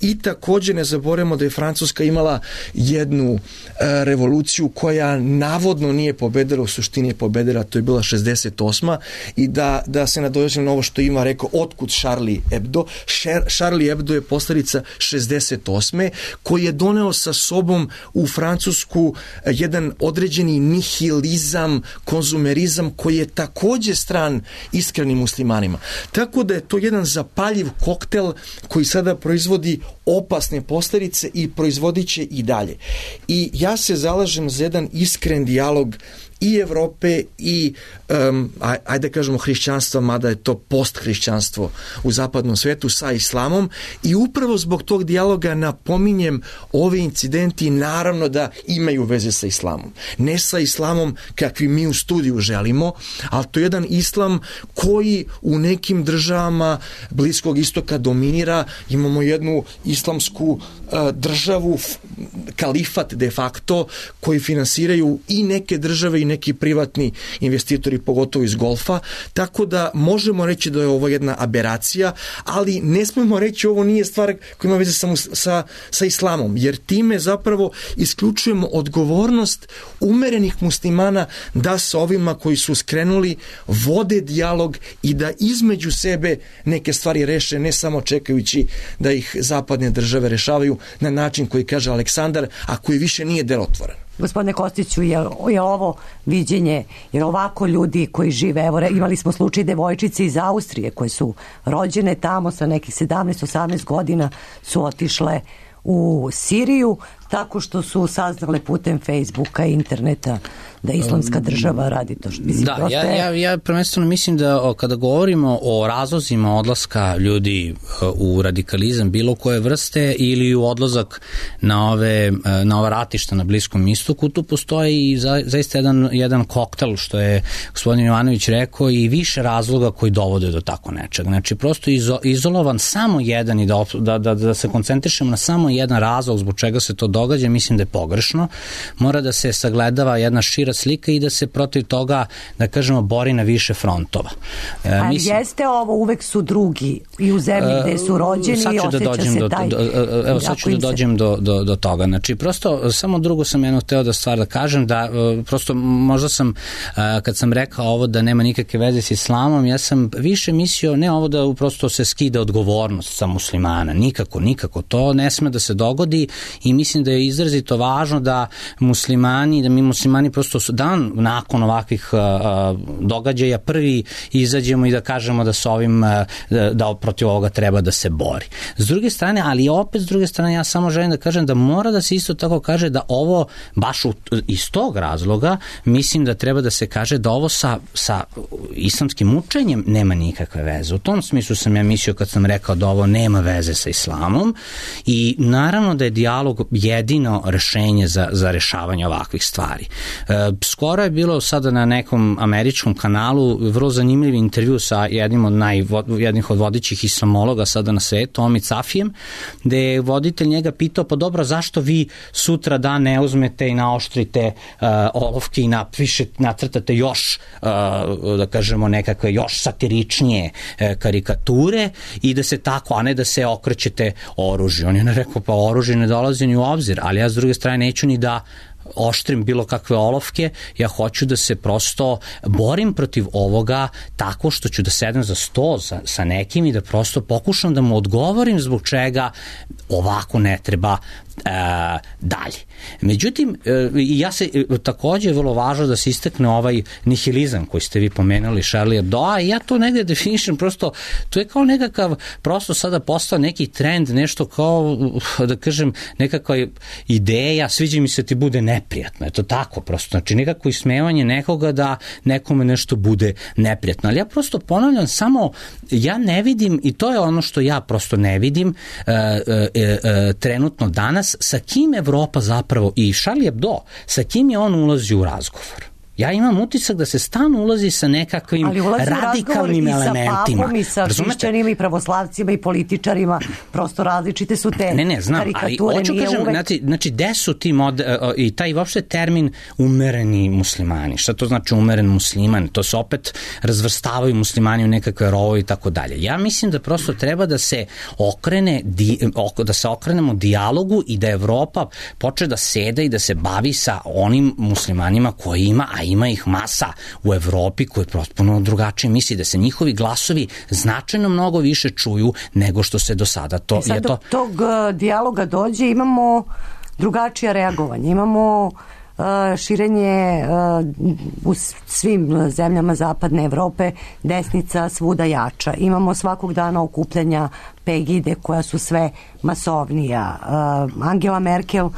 Speaker 3: I također ne zaboravimo da je Francuska imala jednu uh, revoluciju koja navodno nije pobedila, u suštini je pobedila, to je bila šezdeset osma i da, da se nadovežem na ovo što ima rekao, otkud Charlie Hebdo. Charlie Hebdo je posledica šezdeset osme koji je doneo sa sobom u Francusku jedan određeni nihilizam, konzumerizam koji je također stran iskrenim muslimanima. Tako da je to jedan zapaljiv koktel koji sada proizvodi opasne posljedice i proizvodit će i dalje. I ja se zalažem za jedan iskren dijalog i Evrope i um, ajde da kažemo hrišćanstva, mada je to posthrišćanstvo u zapadnom svetu sa islamom, i upravo zbog tog dijaloga napominjem ovi incidenti naravno da imaju veze sa islamom. Ne sa islamom kakvi mi u studiju želimo, ali to je jedan islam koji u nekim državama Bliskog istoka dominira. Imamo jednu islamsku uh, državu, kalifat de facto, koji finansiraju i neke države i neki privatni investitori, pogotovo iz golfa, tako da možemo reći da je ovo jedna aberacija, ali ne smemo reći ovo nije stvar koja ima veze samo sa, sa islamom, jer time zapravo isključujemo odgovornost umerenih muslimana da sa ovima koji su skrenuli vode dijalog i da između sebe neke stvari reše, ne samo čekajući da ih zapadne države rešavaju na način koji kaže Aleksandar, a koji više nije delotvoran.
Speaker 5: Gospodine Kostiću, je, je ovo viđenje, jer ovako ljudi koji žive, evo imali smo slučaj devojčice iz Austrije koje su rođene tamo sa nekih sedamnaest osamnaest godina su otišle u Siriju tako što su saznale putem Facebooka i interneta da islamska država radi to. Mislim,
Speaker 10: da, ja, ja, ja prvenstveno mislim da o, kada govorimo o razlozima odlaska ljudi u radikalizam bilo koje vrste ili u odlazak na ove, na ova ratišta na Bliskom istoku, tu postoji i za, zaista jedan, jedan koktel, što je gospodin Jovanović rekao, i više razloga koji dovode do tako nečeg. Znači, prosto izo, izolovan samo jedan i da, da, da, da se koncentrišemo na samo jedan razlog zbog čega se to događa, mislim da je pogrešno. Mora da se sagledava jedna šira slika i da se protiv toga, da kažemo, bori na više frontova.
Speaker 5: E, A mislim, jeste ovo, uvek su drugi i u zemlji gde su rođeni i osjeća da se
Speaker 10: do,
Speaker 5: taj...
Speaker 10: Do, do, evo, sad ću da dođem do, do, do toga. Znači, prosto, samo drugo sam jedno hteo da stvar da kažem, da prosto možda sam, kad sam rekao ovo da nema nikakve veze s islamom, ja sam više mislio, ne ovo da prosto se skida odgovornost sa muslimana, nikako, nikako, to ne sme da se dogodi i mislim da je izrazito važno da muslimani, da mi muslimani prosto dan nakon ovakvih uh, događaja prvi izađemo i da kažemo da s ovim, uh, da, da protiv ovoga treba da se bori. S druge strane, ali opet s druge strane, ja samo želim da kažem da mora da se isto tako kaže da ovo, baš u, iz tog razloga, mislim da treba da se kaže da ovo sa, sa islamskim učenjem nema nikakve veze. U tom smislu sam ja mislio kad sam rekao da ovo nema veze sa islamom i naravno da je dijalog jedino rešenje za, za rešavanje ovakvih stvari. E, skoro je bilo sada na nekom američkom kanalu vrlo zanimljiv intervju sa jednim od, naj, jednih od vodećih islamologa sada na svetu, Omid Safijem, gde je voditelj njega pitao, pa dobro, zašto vi sutra dan ne uzmete i naoštrite uh, olovke i napišete, nacrtate još, uh, da kažemo, nekakve još satiričnije uh, karikature i da se tako, a ne da se okrećete oružje. On je rekao, pa oružje ne dolazi ni u obzir, ali ja s druge strane neću ni da oštrim bilo kakve olovke, ja hoću da se prosto borim protiv ovoga tako što ću da sedem za sto sa, sa nekim i da prosto pokušam da mu odgovorim zbog čega ovako ne treba e, dalje. Međutim, e, ja se e, takođe je vrlo važno da se istakne ovaj nihilizam koji ste vi pomenuli, Charlie Hebdo, a ja to negde definišem prosto, to je kao nekakav, prosto sada postao neki trend, nešto kao, da kažem, nekakva ideja, sviđa mi se ti bude neprijatno, je to tako prosto, znači nekako ismevanje nekoga da nekome nešto bude neprijatno, ali ja prosto ponavljam samo, ja ne vidim, i to je ono što ja prosto ne vidim e, e, e, trenutno danas, sa kim Evropa zapravo i Charlie Hebdo, sa kim je on ulazi u razgovor. Ja imam utisak da se stalno ulazi sa nekakvim radikalnim elementima.
Speaker 5: Ali ulazi u razgovor i sa papom, i sa hrišćanima, i pravoslavcima, i političarima, prosto različite su te
Speaker 10: ne, ne, znam,
Speaker 5: karikature.
Speaker 10: Ali,
Speaker 5: nije
Speaker 10: kažem,
Speaker 5: uvek...
Speaker 10: Znači, znači, gde su ti mod, i taj uopšte termin umereni muslimani? Šta to znači umeren musliman? To se opet razvrstavaju muslimani u nekakve rovove i tako dalje. Ja mislim da prosto treba da se okrene, di, da se okrenemo dijalogu i da Evropa počne da sede i da se bavi sa onim muslimanima koji ima, a ima ih masa u Evropi koji potpuno drugačije misli, da se njihovi glasovi značajno mnogo više čuju nego što se do sada to...
Speaker 5: I sad
Speaker 10: je to...
Speaker 5: dok tog uh, dijaloga dođe, imamo drugačije reagovanje, imamo uh, širenje uh, u svim zemljama zapadne Evrope, desnica svuda jača. Imamo svakog dana okupljanja Pegide koja su sve masovnija. Uh, Angela Merkel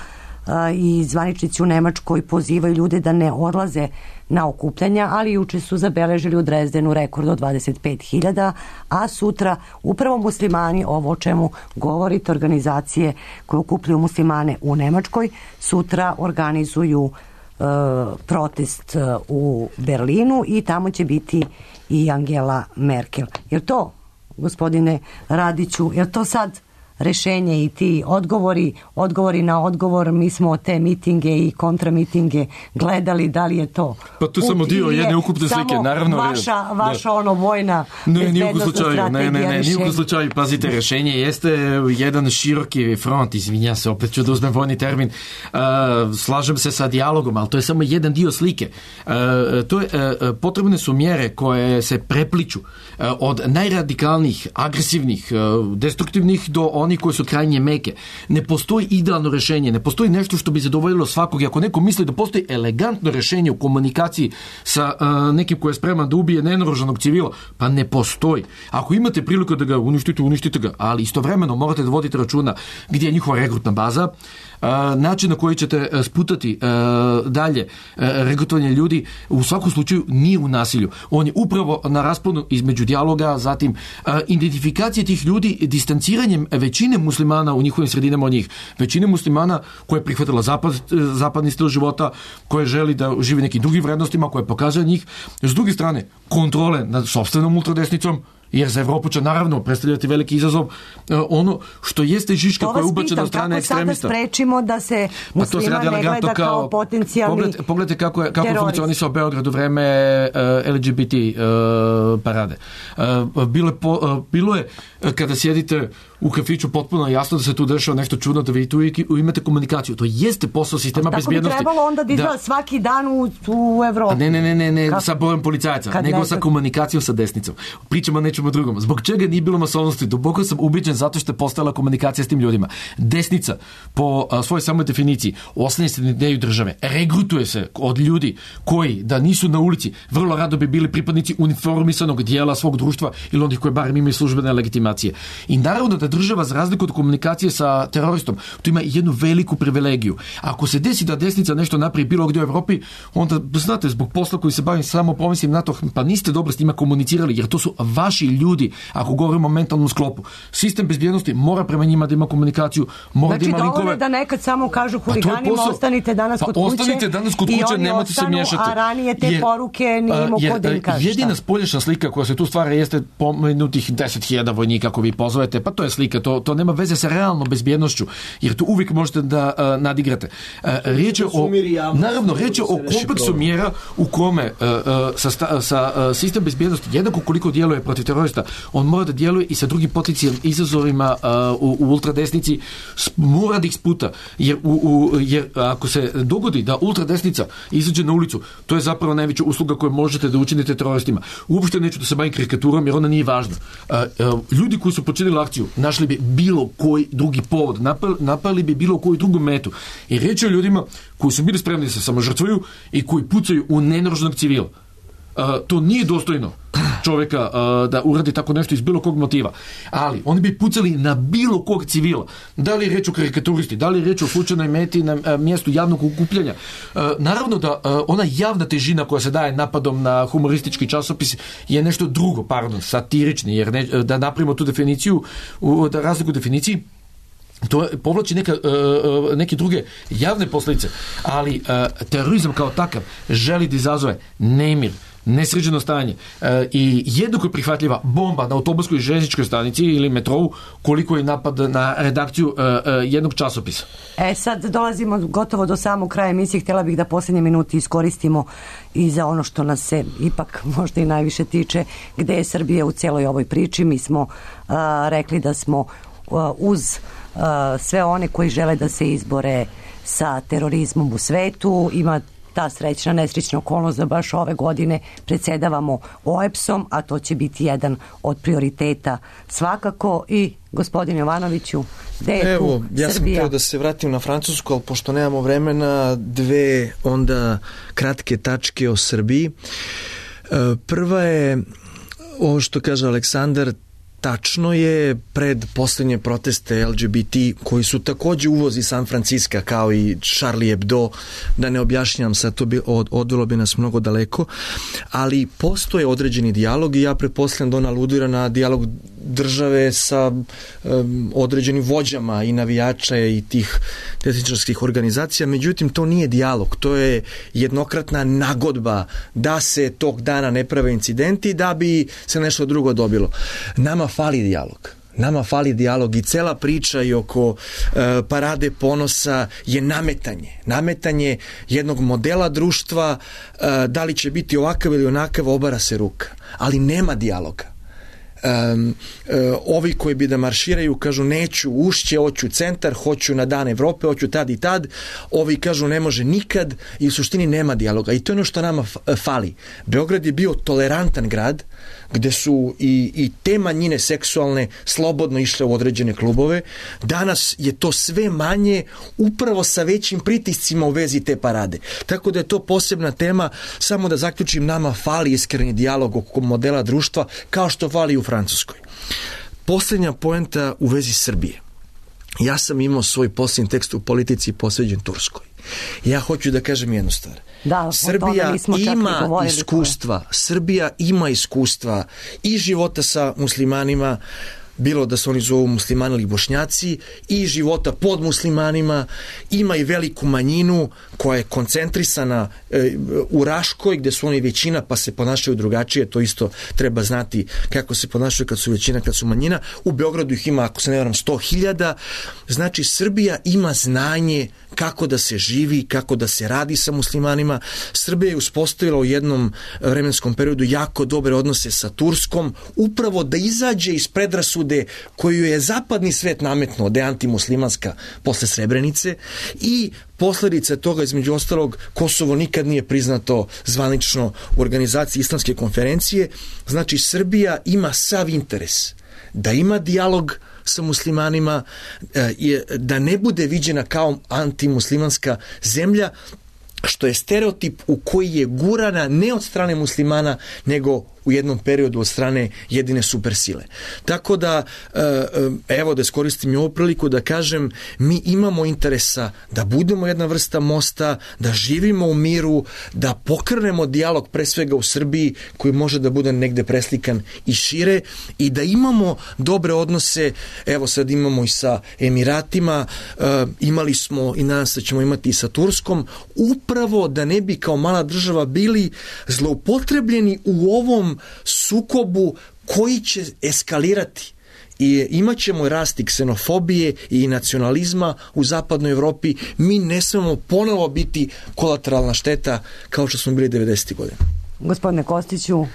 Speaker 5: i zvaničnici u Nemačkoj pozivaju ljude da ne odlaze na okupljanja, ali juče su zabeležili u Drezdenu rekord od dvadeset pet hiljada, a sutra upravo muslimani, ovo o čemu govorite, organizacije koje okupljaju muslimane u Nemačkoj, sutra organizuju uh, protest uh, u Berlinu i tamo će biti i Angela Merkel. Jer to, gospodine Radiću, jer to sad rešenje i ti odgovori, odgovori na odgovor, mi smo te mitinge i kontramitinge gledali, da li je to
Speaker 11: pa to samo dio jedne ukupne slike, naravno
Speaker 5: vaša, vaša ono vojna
Speaker 11: ne, bezbednostna strategija. Ne, ne, ne, nijukom slučaju, pazite, rešenje jeste jedan široki front, izvinja se, opet ću da uzmem vojni termin, uh, slažem se sa dijalogom, ali to je samo jedan dio slike. Uh, to je, uh, potrebne su mjere koje se prepliču uh, od najradikalnijih, agresivnih, uh, destruktivnih do oni koji su krajnje meke. Ne postoji idealno rešenje, ne postoji nešto što bi zadovoljilo svakog. Ako neko misli da postoji elegantno rešenje u komunikaciji sa uh, nekim koji je spreman da ubije nenaoružanog civila, pa ne postoji. Ako imate priliku da ga uništite, uništite ga, ali istovremeno morate da vodite računa gdje je njihova regrutna baza, Uh, način na koji ćete uh, sputati uh, dalje uh, regrutovanje ljudi u svakom slučaju nije u nasilju. On je upravo na rasponu između dijaloga, zatim uh, identifikacije tih ljudi distanciranjem većine muslimana u njihovim sredinama od njih. Većine muslimana koja je prihvatila zapad, zapadni stil života, koja želi da živi nekim drugim vrednostima, koja pokazuje njih. S druge strane, kontrole nad sopstvenom ultradesnicom, jer za Evropu će naravno predstavljati veliki izazov uh, ono što jeste žiška koja je ubačena od strane ekstremista.
Speaker 5: To vas pitam, kako sada sprečimo da se muslima pa ne gleda kao, kao potencijalni
Speaker 11: pogledajte, pogledajte kako je, kako funkcionisao Beograd u vreme uh, L G B T uh, parade. Uh, bilo, je po, uh, bilo je kada sjedite u kafiću potpuno jasno da se tu dešava nešto čudno, da vi tu imate komunikaciju. To jeste posao sistema bezbjednosti.
Speaker 5: Tako bi trebalo onda da izgleda svaki dan u, u Evropi.
Speaker 11: Ne, ne, ne, ne, ne sa brojem policajaca, Kad nego ne... sa komunikacijom sa desnicom. Pričamo o nečemu drugom. Zbog čega nije bilo masovnosti? Duboko sam ubiđen zato što je postojala komunikacija s tim ljudima. Desnica, po a, svojoj samoj definiciji, oslanja se na ideju države. Regrutuje se od ljudi koji, da nisu na ulici, vrlo rado bi bili pripadnici uniformisanog dijela svog društva ili onih koji barem imaju službene legitimacije. I naravno da država, za razliku od komunikacije sa teroristom, tu ima jednu veliku privilegiju. Ako se desi da desnica nešto napravi bilo gdje u Evropi, onda, znate, zbog posla koji se bavim, samo pomislim na to, pa niste dobro s njima komunicirali, jer to su vaši ljudi, ako govorimo o mentalnom sklopu. Sistem bezbjednosti mora prema njima da ima komunikaciju, mora
Speaker 5: znači,
Speaker 11: da ima linkove.
Speaker 5: Znači, da nekad samo kažu huliganima, pa ostanite danas
Speaker 11: pa
Speaker 5: kod kuće,
Speaker 11: ostanite danas kod kuće,
Speaker 5: i oni
Speaker 11: nemojte
Speaker 5: ostanu,
Speaker 11: se miješati.
Speaker 5: A ranije te jer, poruke nije imao kod da im kaže.
Speaker 11: Jedina spoljašna slika koja se tu stvara jeste pomenutih deset hiljada vojnika ako vi pozovete, pa to je slika, to, to nema veze sa realnom bezbjednošću, jer tu uvijek možete da uh, nadigrate. Uh, riječ je o, naravno, riječ je o kompleksu mjera u kome uh, uh, sa, sta, sa uh, sistem bezbjednosti, jednako koliko djeluje protiv terorista, on mora da djeluje i sa drugim potencijalnim izazovima uh, u, u ultradesnici, mora da ih sputa, jer, u, u, jer ako se dogodi da ultradesnica izađe na ulicu, to je zapravo najveća usluga koju možete da učinite teroristima. Uopšte neću da se bavim karikaturom, jer ona nije važna. Uh, uh, ljudi koji su počinili akciju našli bi bilo koji drugi povod, napali, napali bi bilo koju drugu metu. I riječ je o ljudima koji su bili spremni da se samožrtvuju i koji pucaju u nenaoružanog civila. Uh, to nije dostojno čovjeka uh, da uradi tako nešto iz bilo kog motiva. Ali oni bi pucali na bilo kog civila. Da li je reč o karikaturisti, da li je reč o slučajnoj meti na uh, mjestu javnog okupljanja. Uh, naravno da uh, ona javna težina koja se daje napadom na humoristički časopis je nešto drugo, pardon, satirični, jer ne, da napravimo tu definiciju, u, da razliku definiciji, to povlači neka, uh, neke druge javne posljedice, ali uh, terorizam kao takav želi da izazove nemir, nesređeno stanje uh, i jednako prihvatljiva bomba na autobuskoj i željezničkoj stanici ili metrou koliko je napad na redakciju uh, uh, jednog časopisa.
Speaker 5: E sad dolazimo gotovo do samog kraja emisije, htjela bih da posljednje minuti iskoristimo i za ono što nas se ipak možda i najviše tiče, gde je Srbija u celoj ovoj priči. Mi smo uh, rekli da smo uh, uz uh, sve one koji žele da se izbore sa terorizmom u svetu. Ima ta srećna, nesrećna okolnost da baš ove godine predsjedavamo O E B S-om, a to će biti jedan od prioriteta svakako. I gospodin Jovanoviću, gde je
Speaker 3: Evo,
Speaker 5: tu
Speaker 3: ja sam
Speaker 5: Srbija?
Speaker 3: htio da se vratim na Francusku, ali pošto nemamo vremena, dve onda kratke tačke o Srbiji. Prva je ovo što kaže Aleksandar, tačno je, pred posljednje proteste L G B T koji su također uvoz iz San Franciska kao i Charlie Hebdo, da ne objašnjam sad, to bi od, odvelo bi nas mnogo daleko, ali postoje određeni dijalog i ja pretpostavljam da on aludira na dijalog države sa um, određenim vođama i navijača i tih desničarskih organizacija, međutim to nije dijalog, to je jednokratna nagodba da se tog dana ne prave incidenti da bi se nešto drugo dobilo. Nama fali dijalog. Nama fali dijalog i cela priča i oko e, parade ponosa je nametanje. Nametanje jednog modela društva, e, da li će biti ovakav ili onakav, obara se ruka. Ali nema dijaloga. Um, uh, ovi koji bi da marširaju kažu neću ušće, hoću centar, hoću na dan Evrope, hoću tad i tad, ovi kažu ne može nikad i u suštini nema dijaloga i to je ono što nama fali. Beograd je bio tolerantan grad gde su i, i te manjine seksualne slobodno išle u određene klubove. Danas je to sve manje upravo sa većim pritiscima u vezi te parade. Tako da je to posebna tema. Samo da zaključim, nama fali iskreni dijalog oko modela društva kao što fali u Francuskoj. Posljednja poenta u vezi Srbije. Ja sam imao svoj posljednji tekst u Politici posveđen Turskoj. Ja hoću da kažem jednu stvar.
Speaker 5: Da,
Speaker 3: Srbija ima iskustva, Srbija ima iskustva i života sa muslimanima, bilo da se oni zovu muslimani ili bošnjaci, i života pod muslimanima, ima i veliku manjinu koja je koncentrisana e, u Raškoj gdje su oni većina pa se ponašaju drugačije, to isto treba znati kako se ponašaju kad su većina, kad su manjina. U Beogradu ih ima, ako se ne varam, sto hiljada. Znači Srbija ima znanje kako da se živi, kako da se radi sa muslimanima. Srbija je uspostavila u jednom vremenskom periodu jako dobre odnose sa Turskom, upravo da izađe iz predrasude koju je zapadni svet nametnuo, da je antimuslimanska posle Srebrenice, i posljedica toga, između ostalog, Kosovo nikad nije priznato zvanično u organizaciji Islamske konferencije. Znači Srbija ima sav interes da ima dijalog sa muslimanima, da ne bude viđena kao antimuslimanska zemlja, što je stereotip u koji je gurana ne od strane muslimana, nego u jednom periodu od strane jedine supersile. Tako da, evo da iskoristim i ovu priliku da kažem, mi imamo interesa da budemo jedna vrsta mosta, da živimo u miru, da pokrenemo dijalog pre svega u Srbiji koji može da bude negde preslikan i šire, i da imamo dobre odnose. Evo sad imamo i sa Emiratima, imali smo i nadam se da ćemo imati i sa Turskom, upravo da ne bi kao mala država bili zloupotrebljeni u ovom sukobu koji će eskalirati. I imat ćemo rast i ksenofobije i nacionalizma u zapadnoj Evropi. Mi ne smemo ponovo biti kolateralna šteta kao što smo bili devedesetih godina.
Speaker 5: Gospodine Kostiću.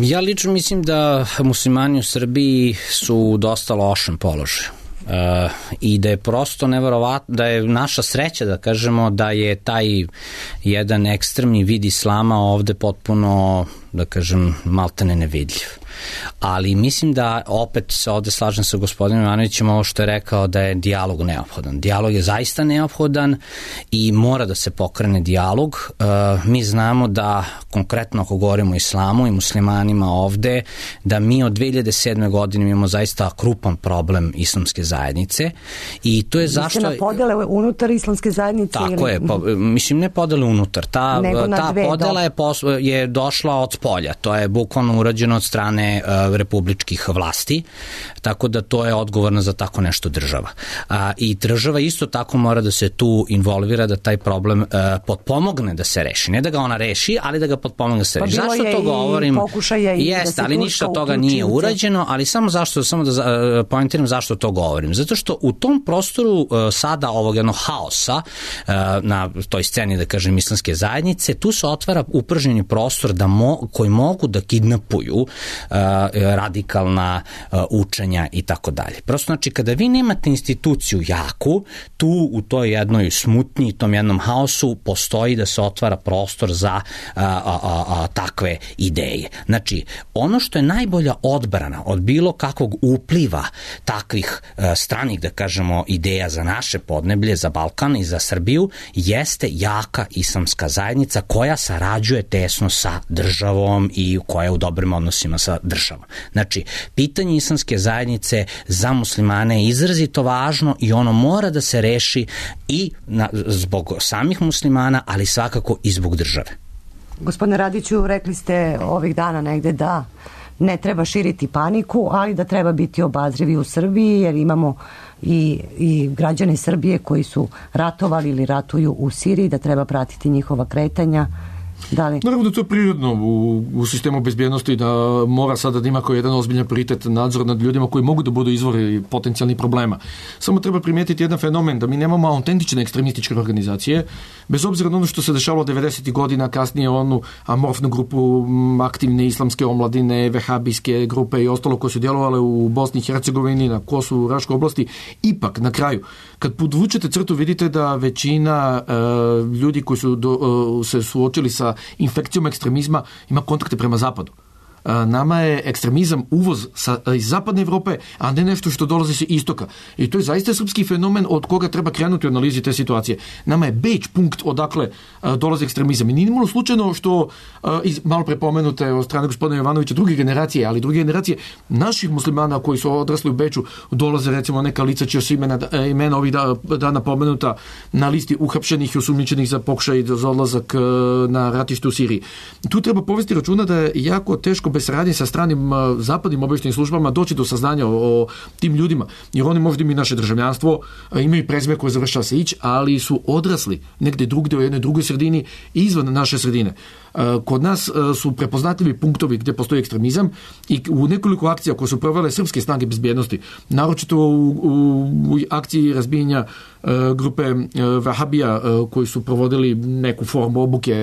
Speaker 10: Ja lično mislim da muslimani u Srbiji su u dosta lošem položaju. Uh, i da je prosto neverovatno, da je naša sreća da kažemo da je taj jedan ekstremni vid islama ovde potpuno, da kažem, maltene nevidljiv. Ali mislim da opet se ovde slažem sa gospodinom Ivanovićem ovo što je rekao da je dijalog neophodan. Dijalog je zaista neophodan i mora da se pokrene dijalog. Uh, mi znamo da konkretno ako govorimo o islamu i muslimanima ovde, da mi od dve hiljade sedme godine imamo zaista krupan problem islamske zajednice i to je zašto...
Speaker 5: Mislim na podele unutar islamske zajednice?
Speaker 10: Tako
Speaker 5: ili...
Speaker 10: je, po, mislim ne podele unutar, ta, ta podela je, pos, je došla od polja. To je bukvalno urađeno od strane uh, republičkih vlasti, tako da to je odgovorno za tako nešto država. A, I država isto tako mora da se tu involvira da taj problem uh, potpomogne da se reši. Ne da ga ona reši, ali da ga potpomogne da se reši.
Speaker 5: Pa
Speaker 10: zašto to govorim? Jeste, ali ništa od toga nije urađeno, ali samo zašto, samo da uh, pointiram zašto to govorim. Zato što u tom prostoru uh, sada ovog jednog haosa uh, na toj sceni, da kažem, islamske zajednice, tu se otvara upržnjeni prostor da mo, koji mogu da kidnapuju uh, radikalna uh, učenja i tako dalje. Prosto, znači, kada vi nemate instituciju jaku, tu u toj jednoj smutnji, tom jednom haosu postoji da se otvara prostor za a, a, a, a, takve ideje. Znači, ono što je najbolja odbrana od bilo kakvog upliva takvih a, stranih, da kažemo, ideja za naše podneblje, za Balkan i za Srbiju, jeste jaka islamska zajednica koja sarađuje tesno sa državom i koja je u dobrim odnosima sa državom. Znači, pitanje islamske zajednice za muslimane je izrazito važno i ono mora da se reši i na, zbog samih muslimana, ali svakako i zbog države.
Speaker 5: Gospodine Radiću, rekli ste ovih dana negde da ne treba širiti paniku, ali da treba biti obazrivi u Srbiji, jer imamo i, i građane Srbije koji su ratovali ili ratuju u Siriji, da treba pratiti njihova kretanja. Da li?
Speaker 11: Naravno da to je prirodno u, u sistemu bezbjednosti, da mora sada da ima kao jedan ozbiljan prioritet nadzor nad ljudima koji mogu da budu izvori potencijalnih problema. Samo treba primijetiti jedan fenomen, da mi nemamo autentične ekstremističke organizacije, bez obzira na ono što se dešavalo devedesetih godina, kasnije onu amorfnu grupu aktivne islamske omladine, vehabijske grupe i ostalo koje su djelovale u Bosni i Hercegovini, na Kosovu, u Raškoj oblasti. Ipak, na kraju, kad podvučete crtu, vidite da većina uh, ljudi koji su do, uh, se suočili sa infekcijom ekstremizma ima kontakte prema zapadu. Nama je ekstremizam uvoz sa, iz zapadne Evrope, a ne nešto što dolazi sa istoka. I to je zaista srpski fenomen od koga treba krenuti u analizi te situacije. Nama je Beč punkt odakle a, dolazi ekstremizam. I nije imalo slučajno što, a, iz, malo prepomenute od strane gospodina Jovanovića, druge generacije, ali druge generacije naših muslimana koji su odrasli u Beču, dolaze recimo neka lica čija su imena, imena ovih da, dana pomenuta na listi uhapšenih i osumnjičenih za pokušaj za odlazak na ratište u Siriji. Tu treba povesti računa da je jako teško bez saradnje sa stranim zapadnim obavještajnim službama doći do saznanja o, o tim ljudima, jer oni možda imaju naše državljanstvo, imaju prezime koje završava se ić, ali su odrasli negde drugde u jednoj drugoj sredini izvan naše sredine. Kod nas su prepoznatljivi punktovi gdje postoji ekstremizam i u nekoliko akcija koje su provele srpske snage bezbjednosti, naročito u, u, u akciji razbijenja grupe Vahabija koji su provodili neku formu obuke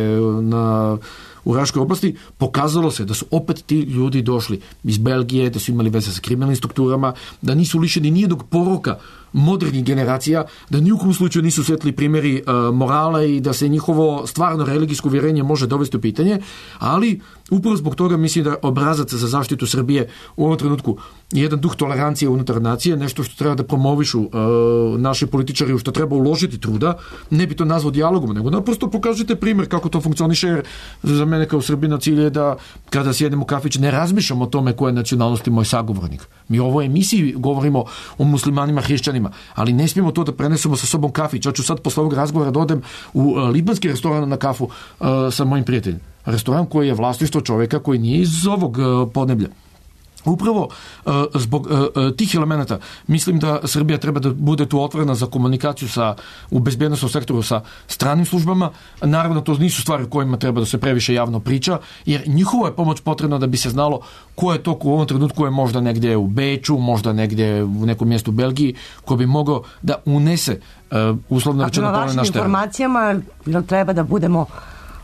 Speaker 11: na u Raškoj oblasti, pokazalo se da su opet ti ljudi došli iz Belgije, da su imali veze sa kriminalnim strukturama, da nisu lišeni nijednog poroka modernih generacija, da ni u kom slučaju nisu svetli primjeri uh, morala i da se njihovo stvarno religijsko uvjerenje može dovesti u pitanje, ali upravo zbog toga mislim da obrazac za zaštitu Srbije u ovom trenutku je jedan duh tolerancije unutar nacije, nešto što treba da promovišu uh, naši političari, u što treba uložiti truda, ne bi to nazvao dijalogom, nego naprosto pokažete primjer kako to funkcioniše, jer za mene kao Srbina cilj je da kada sjedem u kafić ne razmišljam o tome koje nacionalnosti moj sagovornik. Mi u ovoj emisiji govorimo o muslimanima, hrišćanima, ali ne smijemo to da prenesemo sa sobom kafić. Ja ću sad posle ovog razgovora da odem u uh, libanski restoran na kafu uh, sa mojim prijateljem. Restoran koji je vlasništvo čovjeka koji nije iz ovog uh, podneblja. Upravo uh, zbog uh, tih elemenata mislim da Srbija treba da bude tu otvorena za komunikaciju sa, u bezbjednostnom sektoru sa stranim službama. Naravno, to nisu stvari o kojima treba da se previše javno priča, jer njihova je pomoć potrebna da bi se znalo ko je to ko u ovom trenutku je možda negdje u Beču, možda negdje u nekom mjestu u Belgiji, ko bi mogao da unese uh, uslovno rečeno
Speaker 5: na vašim informacijama treba da budemo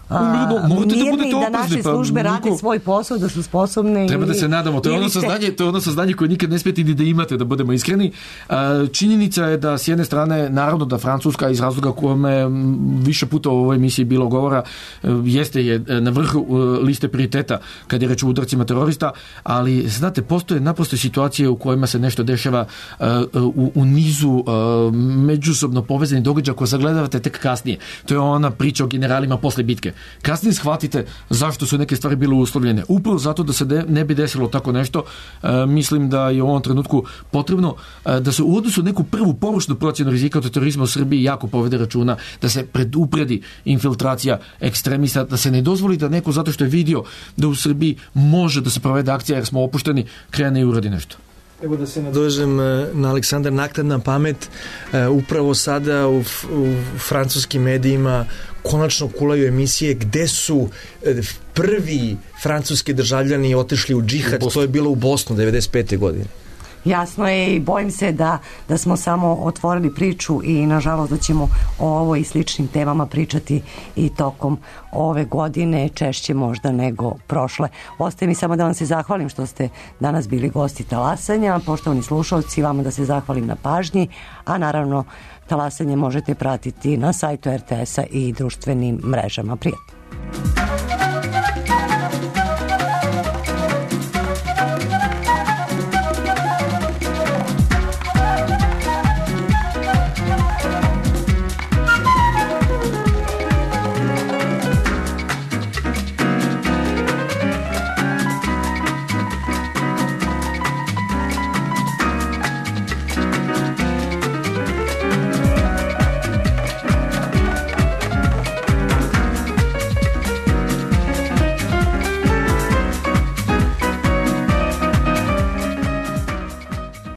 Speaker 11: Umredno, morate da budete
Speaker 5: oprezni, da naše službe pa, rade svoj posao, da su sposobne.
Speaker 11: Treba da se nadamo, to je ono saznanje, to je ono saznanje koje nikad ne smijete ni da imate, da budemo iskreni. Činjenica je da s jedne strane, naravno da Francuska iz razloga kome više puta u ovoj emisiji bilo govora, jeste je na vrhu liste prioriteta kad je reč o udarcima terorista, ali znate, postoje naprosto situacije u kojima se nešto dešava u, u nizu međusobno povezanih događaja koje zagledavate tek kasnije. To je ona priča o generalima posle bitke. Kasnije shvatite zašto su neke stvari bile uslovljene. Upravo zato da se de, ne bi desilo tako nešto, e, mislim da je u ovom trenutku potrebno e, da se u odnosu neku prvu površnu procjenu rizika od terorizma u Srbiji jako povede računa, da se predupredi infiltracija ekstremista, da se ne dozvoli da neko zato što je vidio da u Srbiji može da se provede akcija jer smo opušteni, krene i uradi nešto.
Speaker 3: Evo da se nadovežem na Aleksandar, naknadna pamet, upravo sada u, u francuskim medijima konačno kulaju emisije gde su prvi francuski državljani otišli u džihad, to je bilo u Bosnu devedeset pete godine.
Speaker 5: Jasno je i bojim se da, da smo samo otvorili priču i nažalost da ćemo o ovoj i sličnim temama pričati i tokom ove godine, češće možda nego prošle. Ostaje mi samo da vam se zahvalim što ste danas bili gosti Talasanja, poštovani slušalci, vama da se zahvalim na pažnji, a naravno Talasanje možete pratiti na sajtu er te esa i društvenim mrežama. Prijatno.